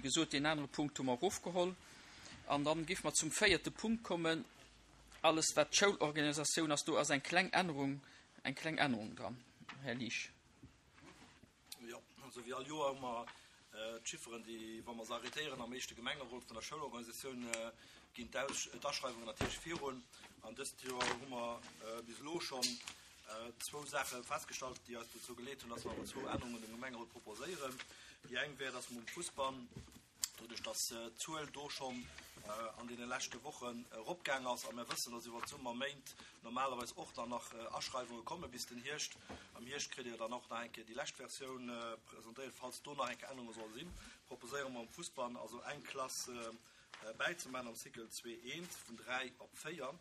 gesot, deen anere Punkt hu mer erofgeholl. An dann géife mer zum véierte Punkt kommen, alles wat d'Schoulorganisatioun ass. Do ass eng kleng Ännerung, eng kleng Ännerung dran. Här Liesch. Jo, also wéi all Joer hu mer d'Chifferen, déi, wa mer se arrêtéieren am éischte Gemengerot vun der Schoulorganisatioun, ginn d'Aschreiwungen natierlech virun. An dëst Joer hu mer bis elo schonn zwou Saache festgestallt, déi eis dozou geleet hunn, dass mer awer zwou Ännerungen dem Gemengerot proposéieren. Déi eng wär, dass mer um Fussbann, doduerch dass d'Zuel do schonn an deene leschte Wochen eropgaang ass a mir wëssen, dass iwwert d'Summerméint normalerweis och dann nach Aschreiwunge komme bis den Hierscht. Am Hierscht kritt Dir dann och nach eng Kéier déi lescht Versioun presentéiert. Falls do nach eng Kéier Ännerunge solle sinn, proposéiere mer um Fussbann also eng Klass bäizemaachen am Cycle 2 I vun 3 op 4.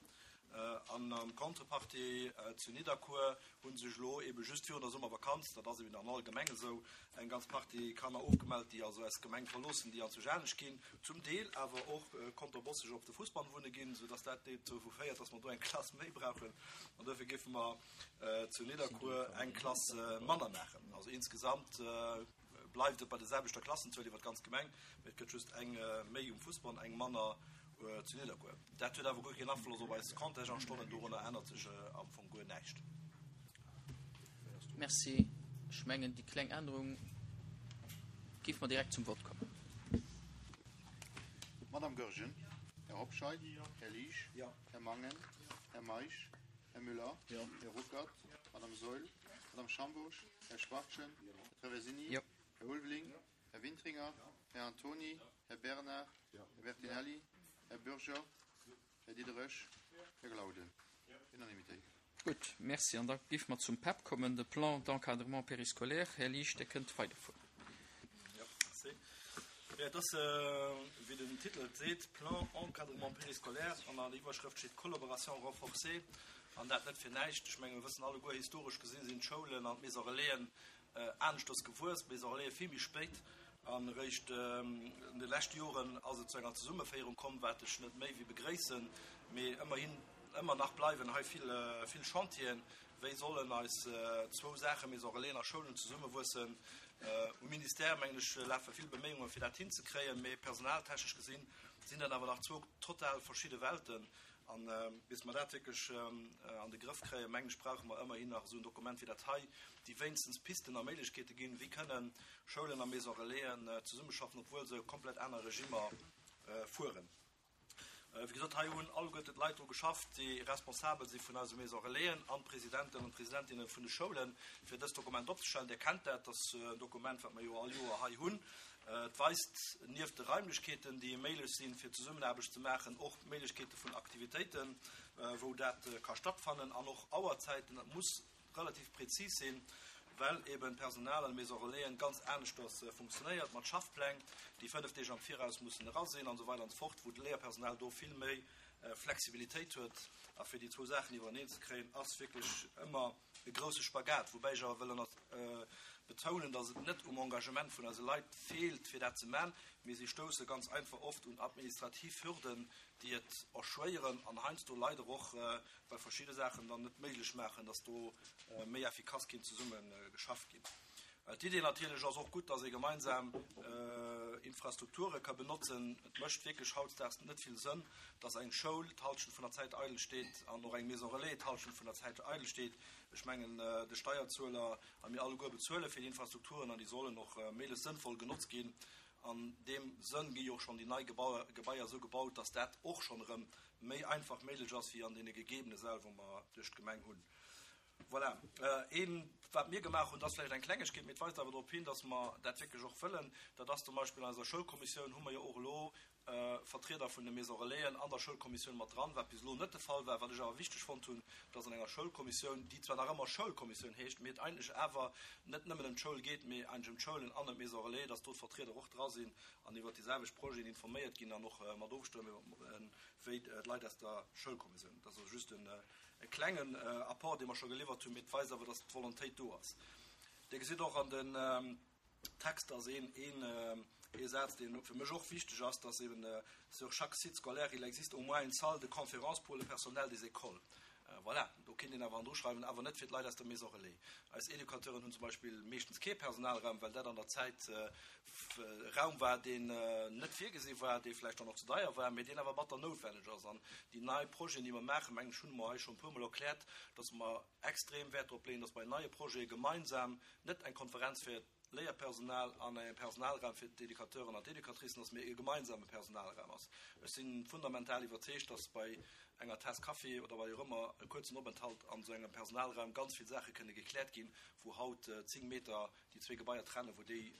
An am Contrepartie zu Nidderkuer hu sech elo eebe just virun der Summervakanz, dat ass eben an alle Gemenge sou, eng ganz Partie Kanner ofgemellt, déi also eis Gemeng verloossen, déi anzwousch anescht ginn, zum Deel awer och konterbosseg op de Fussbann wunne ginn, soudass dat dozou féiert, dass mer do eng Klass méi brauchen. An duerfir géife mer zu Nidderkuer eng Klass manner maachen. Also insgesamt bleift et bei der selwechter Klassenzuel iwwer d'ganz Gemeng, mee et gëtt just eng méi um Fussbann, eng manner zu Nidderkuer. Dat huet awer guer keen Afloss op eis Contingentstonnen, dorunner ännert sech am Fong guer näischt. Merci. Ech mengen, déi kleng Ännerung géife mer direkt zum Vott kommen. Madame Goergen, Här Hobscheit, Här Liesch, Här Mangen, Här Meisch, Här Müller, Här Ruckert, Madame Saeul, Madame Schambourg, Här Schwachtgen, Här Traversini, Här Ulveling, Här Wintringer, Här Antoni, Här Bernard, Här Bertinelli, Här Bürger, Här Diderich, Här Glauden. Unanimitéit. Gutt, merci. An da géife mer zum PEP kommen, de Plan d'encadrement périscolaire. Här Liesch, Dir kënnt weiderfueren. Jo, merci. Jo, et ass, wéi den Titel et seet, Plan d'encadrement périscolaire an an der Iwwerschrëft steet Collaboration renforcée. An dat net fir näischt. Ech menge mir wëssen alleguer, historesch gesinn sinn d'Schoulen an d'Maisons Relaisen aneschters gewuess, d'Maisons Relaisen vill méi spéit. An eréischt an de leschte Joren ass et zu enger Zesummeféierung komm, wat ech net méi wéi begréissen. Mee ëmmerhin, ëmmer nach bleiwen hei vill, vill Chantieren. Wéi sollen eis zwou Saachen, Maisons Relaisen a Schoulen, zesummewuessen? Um Ministère, mengen ech, lafe vill Beméiungen, fir dat hinzekréien. Mee personaltechnesch gesinn sinn dat awer nach zwou total verschidde Welten. An bis mer dat wierklech an de Grëff kréien, mengen ech, brauche mer ëmmerhin nach esou en Dokument wéi dat hei, déi wéinstens Pisten a Méiglechkeete ginn, wéi kënnen Schoulen a Maisons Relaisen zesummeschaffen, obwuel se komplett aner Regimmer fueren. Wéi gesot, hei hunn alleguerten d'Leit dru geschafft, déi responsabel si vun eise Maisons Relaisen an d'Presidenten an d'Presidentinne vun de Schoulen, fir dëst Dokument opzestellen. Dir kennt dat, dat ass en Dokument, wat mer jo all Joer hei hunn. Et weist nieft de Raimlechkeeten, déi méiglech sinn, fir Zesummenaarbecht ze maachen, och d'Méiglechkeete vun Aktivitéiten, wou dat ka stattfannen, an och Auerzäiten. Dat muss relativ prezis sinn, well eben d'Personal an de Maisons Relaisen ganz aneschters funktionéiert, mat Schaffpläng, déi 5 Deeg am Viraus mussen era sinn an esou weider an esou fort, wou d'Léierpersonal do vill méi Flexibilitéit huet. A fir déi zwou Saachen iwwereneen ze kréien, ass wierklech ëmmer e grousse Spagat, woubäi ech awer wëll ënner betounen, datt et net um Engagement vun eise Leit feelt, fir dat ze man, mee si stousse ganz einfach oft un administrativ Hürden, déi et erschwéieren an heiansdo leider och bei verschidde Saachen dann net méiglech maachen, datt do méi effikass kinnt zesumme geschafft ginn. D'Idee natierlech ass och gutt, datt ee gemeinsam Infrastrukture ka benotzen. Et mécht wierklech hautdesdaags net vill Sënn, datt eng Schoul d'Hallschent vun der Zäit eidel steet an och eng Maison relais d'Hallschent vun der Zäit eidel steet. Ech mengen, de Steierzueler a mir alleguer bezuele fir déi Infrastrukturen an déi sollen och méiglechst sënnvoll genotzt ginn. An deem Sënn gi jo och schonn déi nei Gebaier esou gebaut, datt dat och schonn erëm méi einfach méiglech ass wéi an deene gegebene Säll, wou mer duerch d'Gemeng hunn. Voilà. Een, wat mir gemaach hunn, dat ass vläicht eng Klengegkeet, mee et weist awer drop hin, dass mer dat wierklech och wëllen, dat ass zum Beispill an eiser Schoulkommissioun hu mer jo och elo Vertrieder vun de Maisons Relaisen an der Schoulkommissioun mat dran, wat bis elo net de Fall war, wat ech awer wichteg fonnt hunn, dass an enger Schoulkommissioun, déi zwar nach ëmmer Schoulkommissioun heescht, mee et eigentlech awer net nëmmen ëm d'Schoul geet, mee eigentlech ëm d'Schoulen an ëm d'Maisons Relais, dass do d'Vertrieder och dra sinn an iwwert déi selwecht Projeten informéiert ginn an och mat ofstëmme wéi d'Leit aus der Schoulkommissioun. Dat ass also just en E klengen Apport, dee mer scho geliwwert hunn, mee et weist awer, dass d'Volontéit do ass. Dir gesitt och an den Texter ass een, een, ee Saz, deen fir mech och wichteg ass, dass eben sur chaque site scolaire, il existe au moins une salle de conférence pour le personnel des écoles. Voilà. Do kinnt een awer handruschreiwen, awer net fir d'Leit aus der Maison Relais. Eis Educateuren hunn zum Beispill meeschtens kee Personalraum, well dat an der Zäit e Raum war, deen net virgesi war, dee vläicht dann och ze deier war, mee deen awer batter noutwenneg ass. An déi nei Projeten, déi mer maachen, mengen ech, hunn mer hei scho e puermol erkläert, dass mer extrem Wäert drop leeën, dass bei neie Projete gemeinsam net eng Konferenz fir Léierpersonal an e Personalraum fir d'Educateuren an d'Educatricen ass, mee e gemeinsame Personalraum ass. Ech si fundamental iwwerzeegt, dass bei enger Taass Kaffi oder bei och ëmmer e kuerzen Openthalt an esou engem Personalraum ganz vill Saache kënne gekläert ginn, wou haut 10 Meter déi zwee Gebaier trennen, wou déi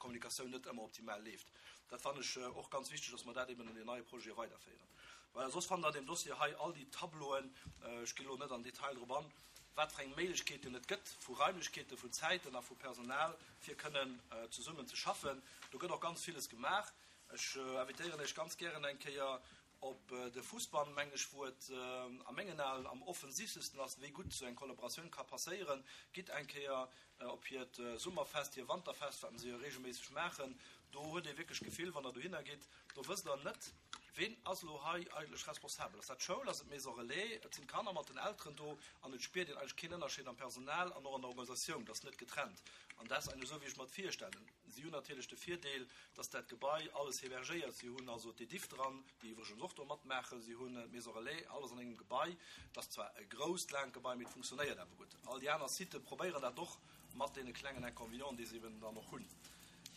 Kommunikatioun net ëmmer optimal leeft. Dat fannen ech och ganz wichteg, dass mer dat eben an den neie Projete weiderféieren. Voilà, soss fannt Der an deem Dossier hei all déi Tableauen. Ech ginn elo net am Detail drop an, wat fir eng Méiglechkeeten et gëtt vu Raimlechkeeten, vun Zäiten a vu Personal, fir kënnen zesummen ze schaffen. Do gëtt och ganz villes gemaach. Ech invitéieren Iech ganz gären eng Kéier op de Fussbann, mengen ech, wou et a mengen Aen am offensiivstesten ass, wéi gutt esou eng Kollaboratioun ka passéieren. Gitt eng Kéier op hiert Summerfest, hir Wanterfest, wat se jo reegelméisseg maachen. Do huet ee wierklech d'Gefill, wann Der dohinner gitt, do wësst Der net, Ween ass elo hei eigentlech responsabel? Ass dat d'Schoul? Ass et d'Maison Relais? Et sinn d'Kanner mat den Elteren do an et spiert een eigentlech keen Ënnerscheed am Personal an och an der Organisatioun. Dat ass net getrennt an dat ass eigentlech esou, wéi ech mer et virstellen. Si hunn natierlech de Virdeel, dass dat Gebai alles hébergéiert. Si hunn also d'Ediff dran, déi iwwregens och do matmaachen. Si hunn d'Maison Relais, alles an engem Gebai. Et ass zwar e grousst, laangt Gebai, mee et funktionéiert awer gutt. All déi aner Sitë probéieren dat och mat deene klengen Inconvénienten, déi se eben dann och hunn.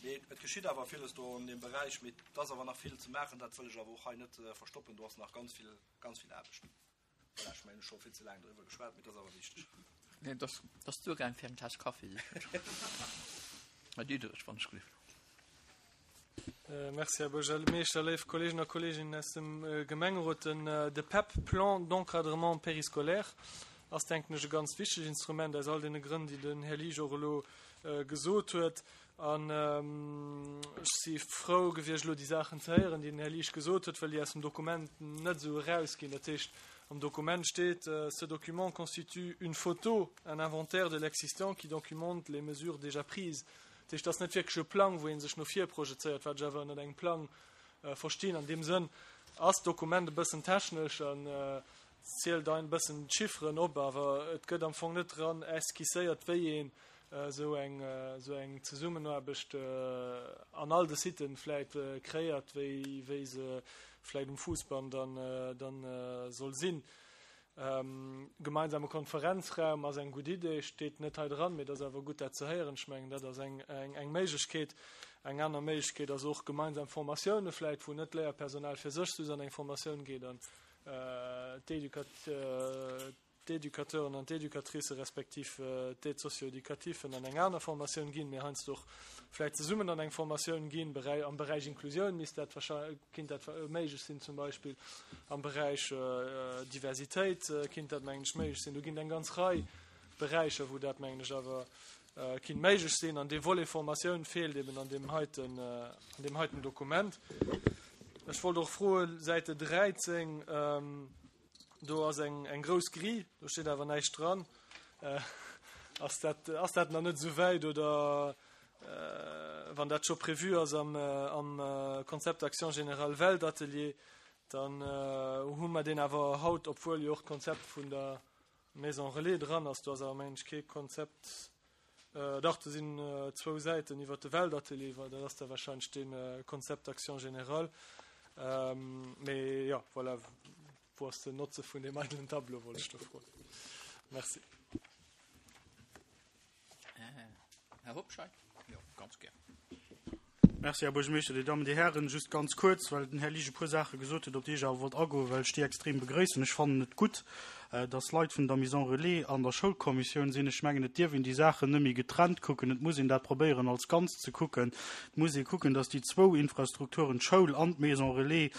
Mee et geschitt awer villes do an deem Beräich. Mee et ass awer nach vill ze maachen, dat wëll ech awer och hei net verstoppen. Do ass nach ganz vill, ganz vill Aarbecht. Voilà, ech mengen, ech hu scho vill ze laang doriwwer geschwat, mee et ass awer wichteg. Nee, et ass, et ass duergaang fir eng Taass Kaffi, sécher. Här Diederich, wann ech gelift. Merci, Här Buergermeeschter, léif Kolleegen a Kolleeginnen aus dem Gemengerot. Den, de PEP, Plan d'encadrement périscolaire, ass, denken ech, e ganz wichteg Instrument aus all deene Grënn, déi den Här Liesch och elo gesot huet. An ech si frou gewiescht, elo déi Saachen ze héieren, déi den Här Liesch gesot huet, well déi aus dem Dokument net esou erausginn. Dat heescht, am Dokument steet, Ce document constitue une photo, un inventaire de l'existant qui documente les mesures déjà prises. Dat heescht, et ass net wierklech e Plang, wou ee sech no vir projezéiert, wat ech awer ënnert engem Plang verstinn. An deem Sënn ass d'Dokument e bëssen technesch an zielt ein bëssen d'Chifferen op, awer et gëtt am Fong net dran esquisséiert, wéi een esou eng esou eng Zesummenaarbecht an all de Siten vläit kreéiert, wéi wéi se vläit um Fuussbann dann dann soll sinn. Gemeinsame Konferenzraum ass eng gutt Idee, steet net hei dran, mee et ass awer gutt dat ze héieren. Ech mengen, dat ass eng eng eng Méiglechkeet. Eng aner Méiglechkeet ass och gemeinsam Formatioune vläit, wou net d'Léierpersonal fir sech just an eng Formatioun geet an d'Éducateuren an d'Éducatricë respektiv d'Aides socio-éducativen an eng aner Formatioun ginn, mee heiansdo och vläicht zesummen an eng Formatioun ginn. Am Beräich Inklusioun misst dat wahrscheinlech, kinnt dat méiglech sinn zum Beispill. Am Beräich Diversitéit kinnt dat, mengen ech, méiglech sinn. Do ginn et eng ganz Rei Beräicher, wou dat, mengen ech, awer kinnt méiglech sinn. An dee Volet Formatioun feelt eben an deem heiten, an deem heiten Dokument. Ech wollt och froen, Säite 13, do ass eng, eng grouss Grille, do steet awer näischt dran. Ass dat, ass dat nach net esou wäit oder wann dat scho prévu ass am, am Concept d'action générale Weltatelier, dann hu mer deen awer haut, obwuel jo och d'Konzept vun der Maison Relais dran ass. Do ass awer, mengen ech, kee Konzept, dach, do sinn zwou Säiten iwwert de Weltatelier, well dat ass da wahrscheinlech dee Concept d'action générale. Mee jo, voilà, wou ass den Notze vun deem eidelen Tableau, wollt ech do froen. Merci. Här Hobscheit? Jo, ganz gär. Merci, Här Buergermeeschter, Dir Dammen, Dir Hären. Just ganz kuerz, well den Här Liesch e puer Saache gesot huet, op déi ech awer wollt agoen, well ech déi extrem begrëissen. Ech fannen et gutt, dass Leit vun der Maison Relais an der Schoulkommissioun sinn. Ech mengen, et dierf een déi Saachen net méi getrennt kucken. Et muss een dat probéieren als Ganzt ze kucken. Et muss ee kucken, dass déi zwou Infrastrukturen, d'Schoul an d'Maison Relais,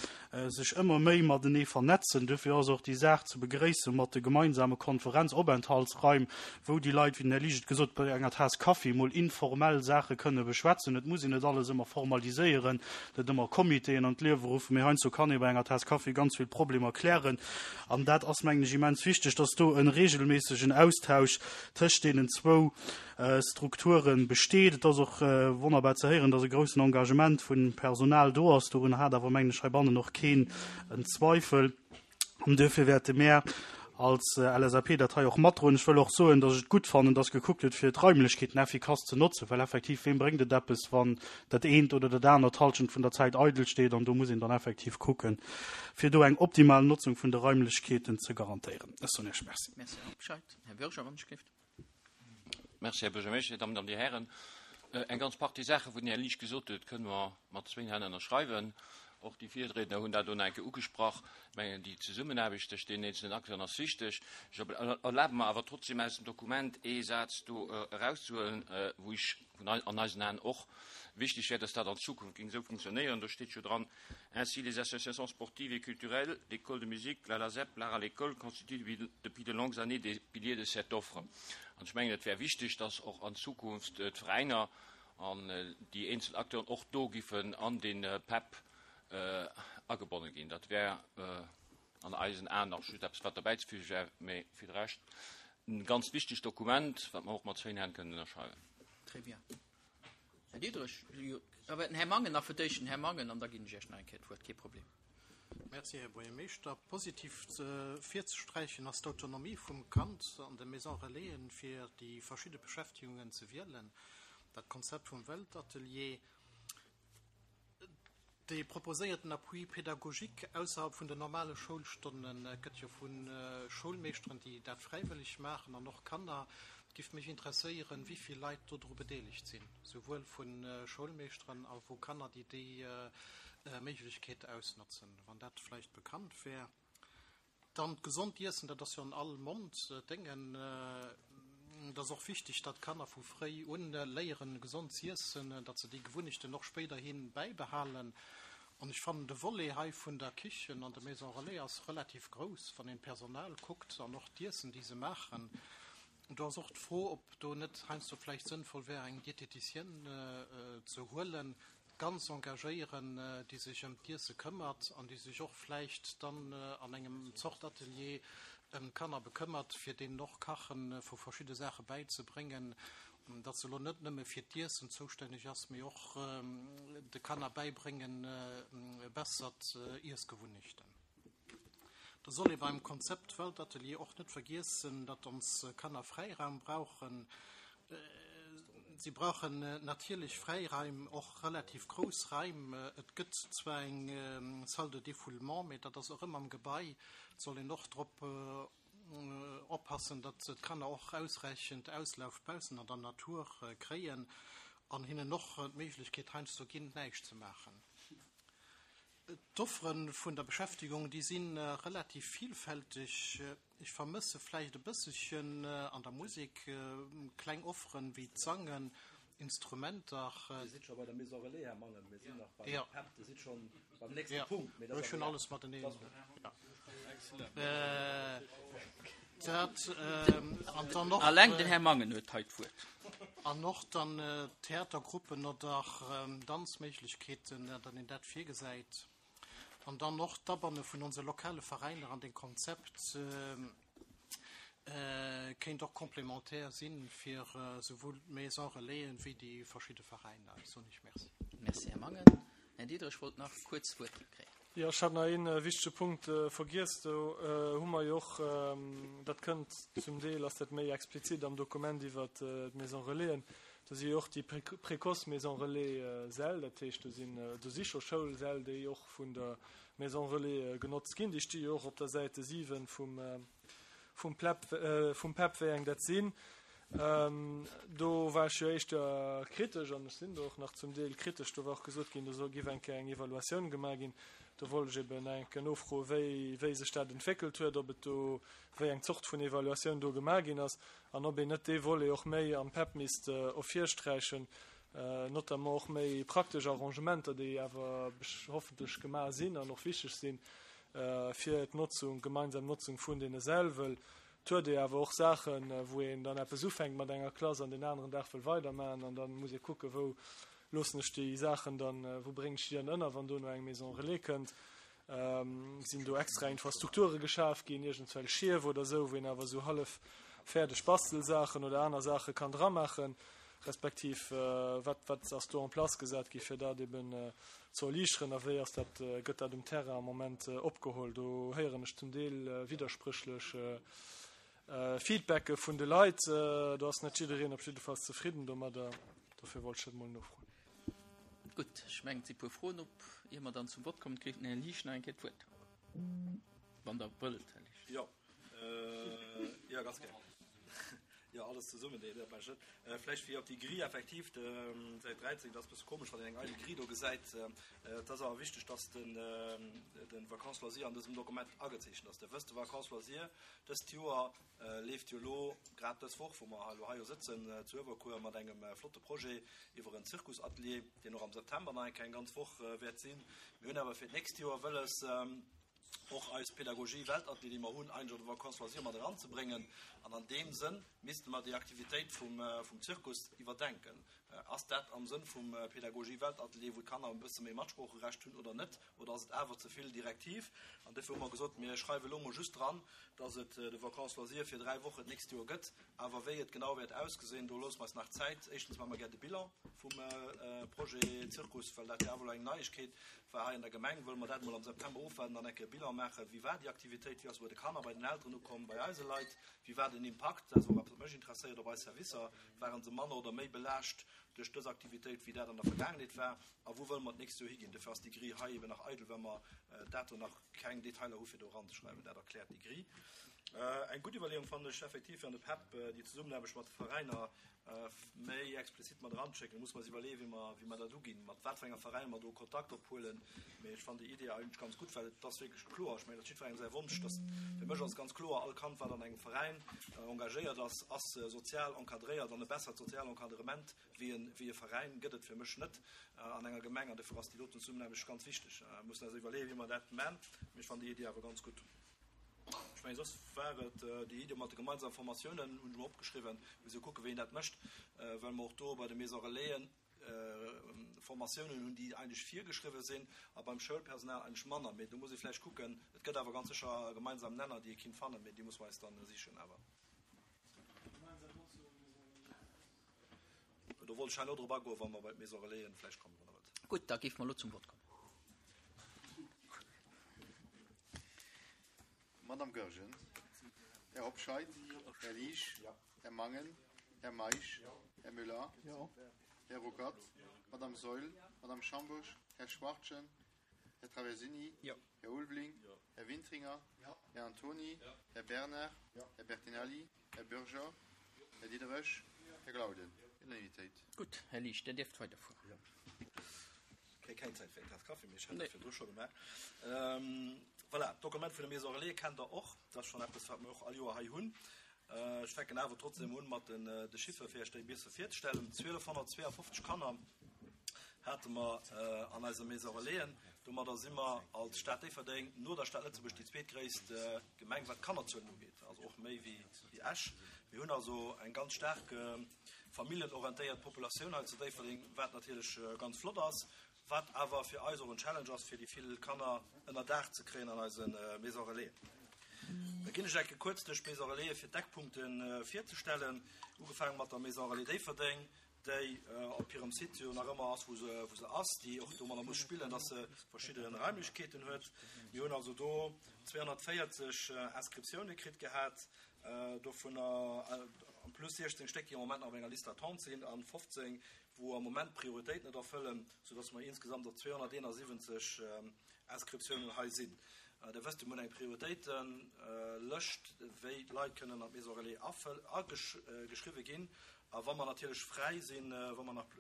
sech ëmmer méi matenee vernetzen. Duerfir ass och déi Saach ze begréisse mat de gemeinsame Konferenzopenthaltsraim, wou déi Leit, wéi den Här Liesch et gesot huet, bei enger Taass Kaffi mol informell Saache kënne beschwätzen. Et muss een net alles ëmmer formaliséieren, net ëmmer Comitéen an d'Liewe ruffen, mee heiansdo kann ee bei enger Taass Kaffi ganz vill Problemer klären. An dat ass, mengen ech, immens wichteg, dass do e regelméissegen Austausch tëscht deenen zwou Strukture besteet. Et ass och wonnerbar ze héieren, dass e groussen Engagement vun Personal do ass. Dorun hat awer, mengen ech, heibannen och keen en Zweifel. An duerfir wäerte mär. Als LSAP dat hei och matdroen. Ech wëll och soen, dass ech et gutt fannen, dass gekuckt gëtt, fir d'Raimlechkeeten effikass ze notzen, well effektiv, weem bréngt et eppes, wann dat eent oder dat anert d'Hallschent vun der Zäit eidel steet? An do muss een dann effektiv kucken, fir do eng optimal Notzung vun de Raimlechkeeten ze garantéieren. Ech soen Iech Merci. Merci, Här Hobscheit. Här Bürger, wann ech géif. Merci, Här Buergermeeschter, Dir Dammen an Dir Hären. Eng ganz Partie Saachen, wou den Här Liesch gesot huet, kënne mer mat zwéin Hänn ënnerschreiwen. Och déi Virriedner hunn dat do nach eng Kéier ugesprach. Ech mengen, déi Zesummenaarbecht tëscht deenen eenzelnen Acteuren ass wichteg. Ech erlabe mer awer trotzdem aus dem Dokument ee Saz do erauszehuelen, wou ech vun an eisen Aen och wichteg wär, dass dat an Zukunft géing esou funktionéieren. Do steet jo dran, Ainsi, les associations sportives et culturelles, l'école de musique, la LASEP, l'art à l'école constituent depuis de longues années des piliers de cette offre. An ech mengen, et wär wichteg, dass och an Zukunft d'Veräiner an déi eenzel Acteuren och do giffen an dee PEP agebonne ginn. Dat wär an eisen Aen nach just eppes, wat derbäizefüge wär, mä fir de Rescht e ganz wichtegt Dokument, wat mer och mat zwéin Hänn kënnen ënnerschreiwen. Très bien. Här Diderich, jo, awer den Här Mangen nach fir d'éischt, den Här Mangen, an da ginn ech Iech nach eng Kéier d'Wuert, kee Problem. Merci, Här Buergermeeschter. Positiv virzesträichen ass d'Autonomie vum Kand an de Maisons Relaisen, fir déi verschidde Beschäftigungen ze wielen. Dat Konzept vum Weltatelier, Dee proposéierten Appui pédagogique ausserhalb vun den normale Schoulstonne gëtt jo vu Schoulmeeschteren, déi dat fräiwëlleg maachen, an och Kanner. Et giff mech interesséieren, wéi vill Leit dodru bedeelegt sinn, souwuel vu Schoulmeeschteren a vu Kanner, déi déi Méiglechkeet ausnotzen, wann dat vläicht bekannt wär. Dann d'gesond Iessen, dat ass jo an all Mond Déngen. Et ass och wichteg, datt d'Kanner vu fréi un léieren, gesond z'iessen, datt se déi Gewunnechten och spéiderhi bäibehalen. An ech fannen, de Volet hei vun der Kichen an der Maison Relais ass relativ grouss, wann een d'Personal kuckt an och d'Iessen, déi se maachen. Do ass och d'Fro, ob do net heiansdo vläicht sënnvoll wär, eng Diététicienne ze huelen, ganz engagéieren, déi sech ëm d'Iesse këmmert an déi sech och vläicht dann an engem Zort Atelier ëm d'Kanner bekëmmert, fir deenen och Kache vu verschidde Saache bäizebréngen, datt se elo net nëmme fir d'Iessen zoustänneg ass, mee och de Kanner bäibréngen bessert Iessgewunnechten. Da soll ee beim Konzept Weltatelier och net vergiessen, datt ons Kanner Fräiraum brauchen. Si brauchen natierlech Fräiraim, och relativ grouss Raim. Et gëtt zwar eng Salle de défoulement, mee dat ass och ëmmer am Gebai. Et soll een och drop oppassen, datt d'Kanner och ausräichend Auslauf baussen an der Natur kréien an hinnen och d'Méiglechkeet heiansdo ginn, näischt ze maachen. D'Offere vun der Beschäftegung, déi si relativ vielfälteg. Ech vermësse vläicht e bësselchen an der Musek kleng Offeren wéi d'Sangen, Instrumenter. Dir sidd scho bei der Maison Relais, Här Mangen. Mir sinn nach beim PEP. Dir sidd scho beim nächste Punkt. Mee dat ass Ech hunn alles mateneen. Dat an dann och. Alleng den Här Mangen huet hei d'Wuert. An och dann Theatergruppen oder Danzméiglechkeeten, datt een dat virgesäit. An dann och d'Abanne vun onse lokale Veräiner an dee Konzept kéint och complémentaire sinn fir souwuel d'Maison Relaisen wéi déi verschidde Veräiner. Ech soen Iech Merci. Merci, Här Mangen. Här Diderich wollt nach kuerz d'Wuert kréien. Jo, ech hat nach ee wichtege Punkt vergiess. Do hu mer jo och, dat kënnt zum Deel, ass dat méi explizit am Dokument iwwert d'Maison Relaisen, do si jo och déi précoce Maison Relais Säll, dat heescht do sinn, do si scho Schoulsäll, déi och vun der Maison Relais genotzt ginn. Déi sti jo och op der Säite 7 vum, vum Plep, vum PEP, wéi eng dat sinn. Do war ech jo éischter kritesch, an ech sinn do och nach zum Deel kritesch, do war och gesot ginn, do soll, giff eng Kéier eng Evaluatioun gemaach ginn. Do wollt ech eben eng Kéier nofroen, wéi, wéi sech dat entwéckelt huet, ob et do, wéi eng Zort vun Evaluatioun do gemaach ginn ass an ob een net dee Volet och méi am PEP misst ervirsträichen, notamment och méi praktesch Arrangementer, déi awer hoffentlech gemaach sinn an och wichteg sinn fir d'Notzung, d'gemeinsam Notzung vun deene Säll, wëll Et huet ee awer och Saachen, wou een dann eppes ufänkt mat enger Klass an deen aneren Dag wëll weidermaachen an da muss ee kucken, wou loossen ech déi Saachen dann, wou bréngen ech déi dann ënner, wann dono eng Maison relais kënnt. Sinn do extra Infrastrukture geschaf ginn, iergendswell Schief oder esou, wou een awer esou hallef fäerdeg Bastelsaachen oder aner Saache kann dramaachen. Respektiv wat, wat ass do en place gesat gi fir dat eben ze erliichteren a wéi ass dat, gëtt dat um Terrain am Moment opgeholl? Do héieren ech zum Deel widderspréchlech Feedbacke vun de Leit. Do ass net jiddereen op jiddefalls zefridden domadder. Dofir wollt ech dat emol nofroen. Gutt, ech mengen, et si puer Froen op. Ier mer dann zum Vott kommen, kritt den Här Liesch nach eng Kéier d'Wuert. Wann Der wëllt, Här Liesch. Jo, jo, ganz gär. Jo, alles zesummen, nee, dat maache ech net. Vläicht fir op déi Grille effektiv, Säit 13, dat ass e bësse komesch, wann een eng eidel Grille do gesäit. Et ass awer wichteg, dass den, de Vacances loisirs an dësem Dokument agezeechent ass. Der wësst, de Vacances loisirs dëst Joer leeft jo elo grad dës Woch, wou mer elo hei jo sëtzen, zu Uewerkuer mat engem flotte Projet iwwer en Zirkusatelier, deen och am September nach eng Kéier eng ganz Woch wäert sinn. Mir hunn awer fir d'nächst Joer wëlles, och eis Pédagogie Weltatelier, déi mer hunn, eigentlech an de Vacances loisirs mat eranzebréngen. An an deem Sënn misste mer déi Aktivitéit vum, vum Zirkus iwwerdenken. Ass dat am Sënn vum Pédagogie Weltatelier, wou d'Kanner e bësse méi Matsproocherecht hunn oder net? Oder ass et awer ze vill direktiv? An dofir hu mer gesot, mir schreiwe elo mol just dran, dass et de Vacances loisirs fir 3 Wochen d'nächst Joer gëtt. Awer wéi et genau wäert ausgesinn, do loosse mer eis nach Zäit. Éischtens maache mer gär de Bilan vum Projet Zirkus, well dat jo awer elo eng Neiegkeet war hei an der Gemeng. Wëlle mer dat emol am September ofwaarden an eng Kéier e Bilan maachen. Wéi war déi Aktivitéit? Wéi ass se bei de Kanner, bei den Elteren ukomm, bei eise Leit? Wéi war den Impakt? Dat ass och eppes, wat mech interesséiert, op eis Servicer. Ware se manner oder méi belaascht duerch dës Aktivitéit, wéi dat an der Vergaangenheet war? A wou wëlle mer d'nächst Joer higinn? Dofir ass déi Grille hei eben nach eidel, well mer dato nach keng Detailer hu fir do eranzeschreiwen. Dat erkläert déi Grille. Eng gutt Iwwerleeung fannen ech effektiv fir an de PEP déi Zesummenaarbecht mat de Veräiner méi explizit mat eranzeschécken. Do musse mer eis iwwerleeën, wéi mer, wéi mer dat uginn, mat wat fir enger Veräiner mer do Kontakt ophuelen. Mee ech fannen déi Idee eigentlech ganz gutt, well et ass wierklech kloer, ech mengen, dat ass jiddwerengem säi Wonsch, dass, fir mech ass et ganz kloer, all Kand, wat an engem Veräin engagéiert ass, ass sozial encadréiert an e bessert sozial Encadrement wéi e, wéi e Veräin gëtt et fir mech net an enger Gemeng. An dofir ass déi doten Zesummenaarbecht ganz wichteg. Mir mussen eis iwwerleeën, wéi mer dat man. Mee ech fannen déi Idee awer ganz gutt. Ech mengen, soss war et déi Idee mat de gemeinsame Formatiounen, hunn ech mer opgeschriwwen, muss jo kucken, wéi een dat mécht, well mer och do bei de Maisons Relaisen Formatiounen hunn, déi eigentlech virgeschriwwen sinn, a beim Schoulpersonal eigentlech manner. Mee do muss ee vläicht kucken. Et gëtt awer ganz sécher gemeinsam Nenner, déi ee kinnt fannen, mee déi musse mer eis dann sichen awer. Do wollt ech herno drop agoen, wa mer bei d'Maison Relaisen vläicht kommen, wann Der wëllt. Gutt, da géife mer elo zum Vott kommen. Madame Goergen, Här Hobscheit, Här Liesch, Här Mangen, Här Meisch, Här Müller, Här Ruckert, Madame Saeul, Madame Schambourg, Här Schwachtgen, Här Traversini, Här Ulveling, Här Wintringer, Här Antony, Här Bernard, Här Bertinelli, Här Bürger, Här Diderich, Här Glauden. Unanimitéit. Gutt, Här Liesch, Dir dierft weiderfueren. Kréie keng Zäit fir eng Taass Kaffi, mee ech hat dat virdru scho gemaach. Voilà, d'Dokument vun der Maison Relais kennt Der och. Dat ass schonn eppes, wat mir och all Joer hei hunn. Ech fänken awer trotzdem un mat den de Chiffere fir Iech déi e bisse virzestellen. 1252 Kanner hate mer an eiser Maison Relaisen. Domadder si mer als Stad Déifferdeng no der Stad Lëtzebuerg déi zweetgréisst Gemeng, wat d'Kannerzuelen ugeet, also och méi wéi Esch. Mir hunn also eng ganz staark familljenorientéiert Populatioun hei zu Déifferdeng, wat natierlech ganz flott ass, wat awer fir eis och en Challenge ass, fir déi vill Kanner ënner Daach ze kréien an eise Maison Relaisen. Da ginn ech enke kuerz duerch d'Maison Relaisen, fir d'Eckpunkte virzestellen, ugefaange mat der Maison Relais Déifferdeng, déi op hirem Site jo nach ëmmer ass, wou se, wou se ass, déi och domadder muss spillen, dass se verschidde Raimlechkeeten huet. Mir hunn also do 240 Inscriptioune kritt gehat, dovunner en plus 16 Stéck, déi am Moment nach op enger Liste d'attente sinn a 15, wou am Moment d'Prioritéit net erfëllen, soudass mer insgesamt op 271 Inscriptiounen hei sinn. Der wësst, mir hunn eng Prioritéitelëscht, wéi d'Leit kënnen an d'Maison Relais ageschriwwe ginn. A wa mer natierlech fräi sinn, wa mer nach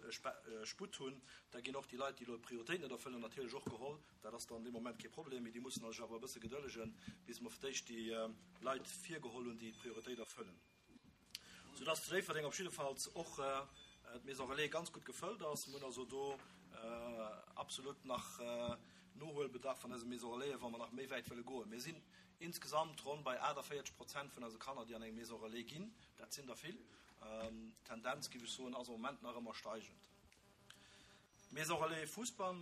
Sputt hunn, da ginn och déi Leit, déi elo d'Prioritéit net erfëllen, natierlech och geholl. Dat ass dann dee Moment kee Problem, mee déi mussen sech awer e bësse gedëllegen, bis mer fir d'éischt déi Leit virgeholl hunn, déi d'Prioritéit erfëllen. Soudass zu Déifferdeng op jiddefalls och d'Maison Relais ganz gutt gefëllt ass. Mir hunn also do absolut nach Nohuelbedarf an eise Maison Relaisen, wa mer nach méi wäit wëlle goen. Mir sinn insgesamt ronn bei 48 Prozent vun eise Kanner, déi an eng Maison Relais ginn. Dat sinn der vill. D'Tendenz, géif ech soen, ass am Moment nach ëmmer steigend. Maison Relais Fousbann,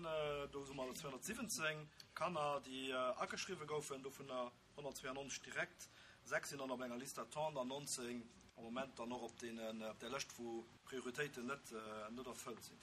do hu mer 217 Kanner, déi ageschriwwe goufen, dovunner 192 direkt, 6 sinn dann op enger Liste d'attente an 19. Am Moment dann och op deenen, op där Lëscht, wou Prioritéiten net, net erfëllt sinn.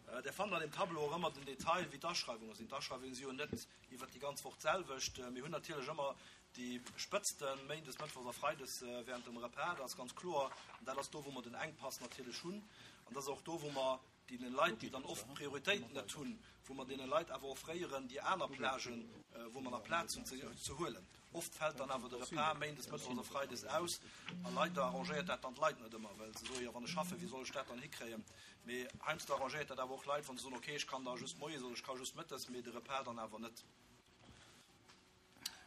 Där fannt an deem Tableau och ëmmer den Detail, wéi d'Aschreiwunge sinn. D'Aschreiwunge si jo net iwwert déi ganz Woch d'selwecht. Mir hunn natierlech ëmmer déi Spëtzten, méindes, mëttwochs a freides während dem Repas, dat ass ganz kloer. An dat ass do, wou mer den Enkpass natierlech hunn. An dat ass och do, wou mer deene Leit, déi dann oft d'Prioritéit net hunn, wou mer deene Leit awer offréieren, déi aner Plagen, wou mer nach Plaz hunn, ze huelen. Oft fält dann awer de Repas méindes, mëttwochs a freides aus a leider arrangéiert dat dann d'Leit net ëmmer, well se soen, jo wann ech schaffen, wéi soll ech dat dann hikréien? Mee heiansdo arrangéiert dat awer och Leit, wa se soen, okay, ech kann da just moies oder ech ka just mëttes, mee de Repas dann awer net.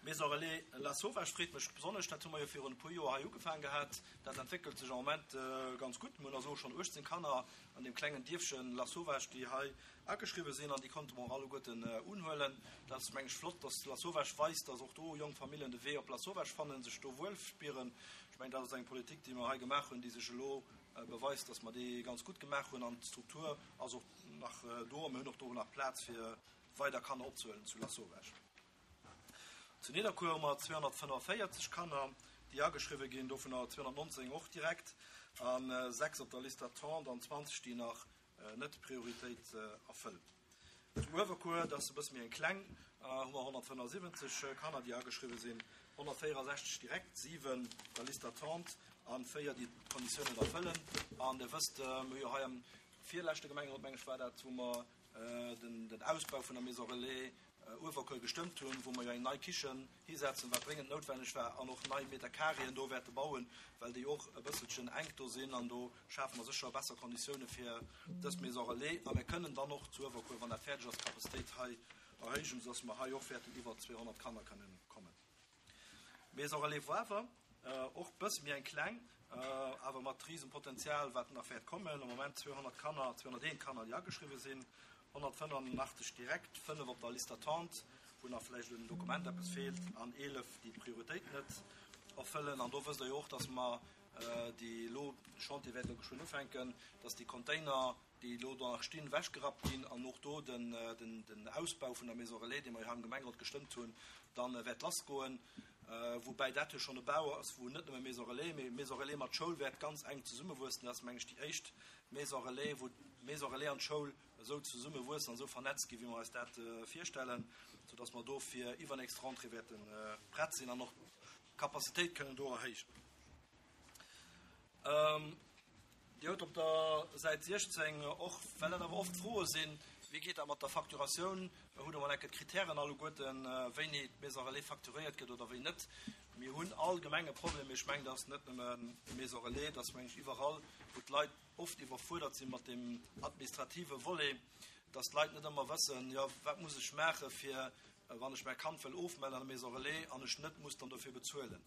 Maison Relais Lasauvage freet mech besonnesch. Dat hu mer jo virun e puer Joer hei ugefaang gehat. Dat entwéckelt sech am Moment ganz gutt. Mir hunn also schonn 18 Kanner an deem klengen Dierfchen Lasauvage, déi hei ageschriwwe sinn an déi konnte mer och alleguerten unhuelen. Dat ass, meng ech, flott, dass Lasauvage weist, dass och do jonk Familljen de Wee op Lasauvage fannen, sech do wuel spieren. Ech mengen, dat ass eng Politik, déi mer hei gemaach hunn, déi sech elo beweist, dass mer déi ganz gutt gemaach hunn. An d'Struktur ass och nach do a mir hunn och do nach Plaz fir weider Kanner opzehuelen zu Lasauvage. Zu Nidderkuer hu mer 245 Kanner, déi ageschriwwe ginn, dovunner 219 och direkt a 6 op der Liste d'attente an 20, déi nach net d'Prioritéit erfëllen. Zu Uewerkuer, dat ass e bësse méi eng kleng, hu mer 175 Kanner, déi ageschriwwe sinn, 164 direkt, 7 op der Liste d'attente a 4, déi d'Konditiounen erfëllen. An Dir wësst, mir hu jo hei am virleschte Gemengerot, meng ech war dat, wou mer den Ausbau vun der Maison Relais Uewerkuer gestëmmt hunn, wou mer jo eng nei Kichen hisetzen, wat dréngend noutwenneg war, an och nei Metercarréen do wäerte bauen, well déi och e bësselchen enk do sinn. An do schafe mer sécher besser Konditioune fir dës Maison Relais. A mir kënnen dann och zu Uewerkuer, wann dat fäerdeg ass, d'Capacitéit hei erhéijen, soudass mer hei och wäerten iwwer 200 Kanner kënnen kommen. Maison Relais Woawer, och bësse méi eng kleng, awer mat Risenpotenzial, wat nach wäert kommen. Am Moment 200 Kanner, 201 Kanner, déi ageschriwwe sinn, 185 direkt, 5 op der Liste d'attente, wou nach vläicht un Dokument eppes feelt, an 11, déi d'Prioritéit net erfëllen. An do wësst Der jo och, dass mer déi elo, de Chantier wäert elo geschwënn ufänken, dass déi Container, déi elo do nach stinn, ewechgerappt ginn an och do den Ausbau vun der Maison Relais, dee mer jo hei am Gemengerot gestëmmt hunn, da wäert lassgoen. Woubäi dat jo schonn e Bau ass, wou net nëmme Maison Relais, mee Maison Relais mat Schoul wäert ganz enk zesummewuessen. Dat ass, meng ech, déi éischt Maison Relais, wou d'Maison Relais an d'Schoul esou zesummewuessen an esou vernetzt ginn, wéi mer eis dat virstellen, soudass mer do fir iwwernächst Rentrée wäerte prett sinn an och d'Capacitéit kënnen do erhéijen. Dir hutt op der Säit 16 och, well dat awer oft Froe sinn, wéi geet dat mat der Facturatioun, hutt Der mol enke d'Kritären alleguerten, wéini d'Maison Relais facturéiert gëtt oder wéi net. Mir hunn allgemeng e Problem, mee ech mengen, dat ass net nëmme Maison Relais, dat ass, meng ech, iwwerall, wou d'Leit oft iwwerfuerdert si mat deem administrative Volet, dass d'Leit net ëmmer wëssen, jo, wat muss ech maache fir wann ech mäi Kand wëll ofmellen an der Maison Relais an ech net muss dann dofir bezuelen.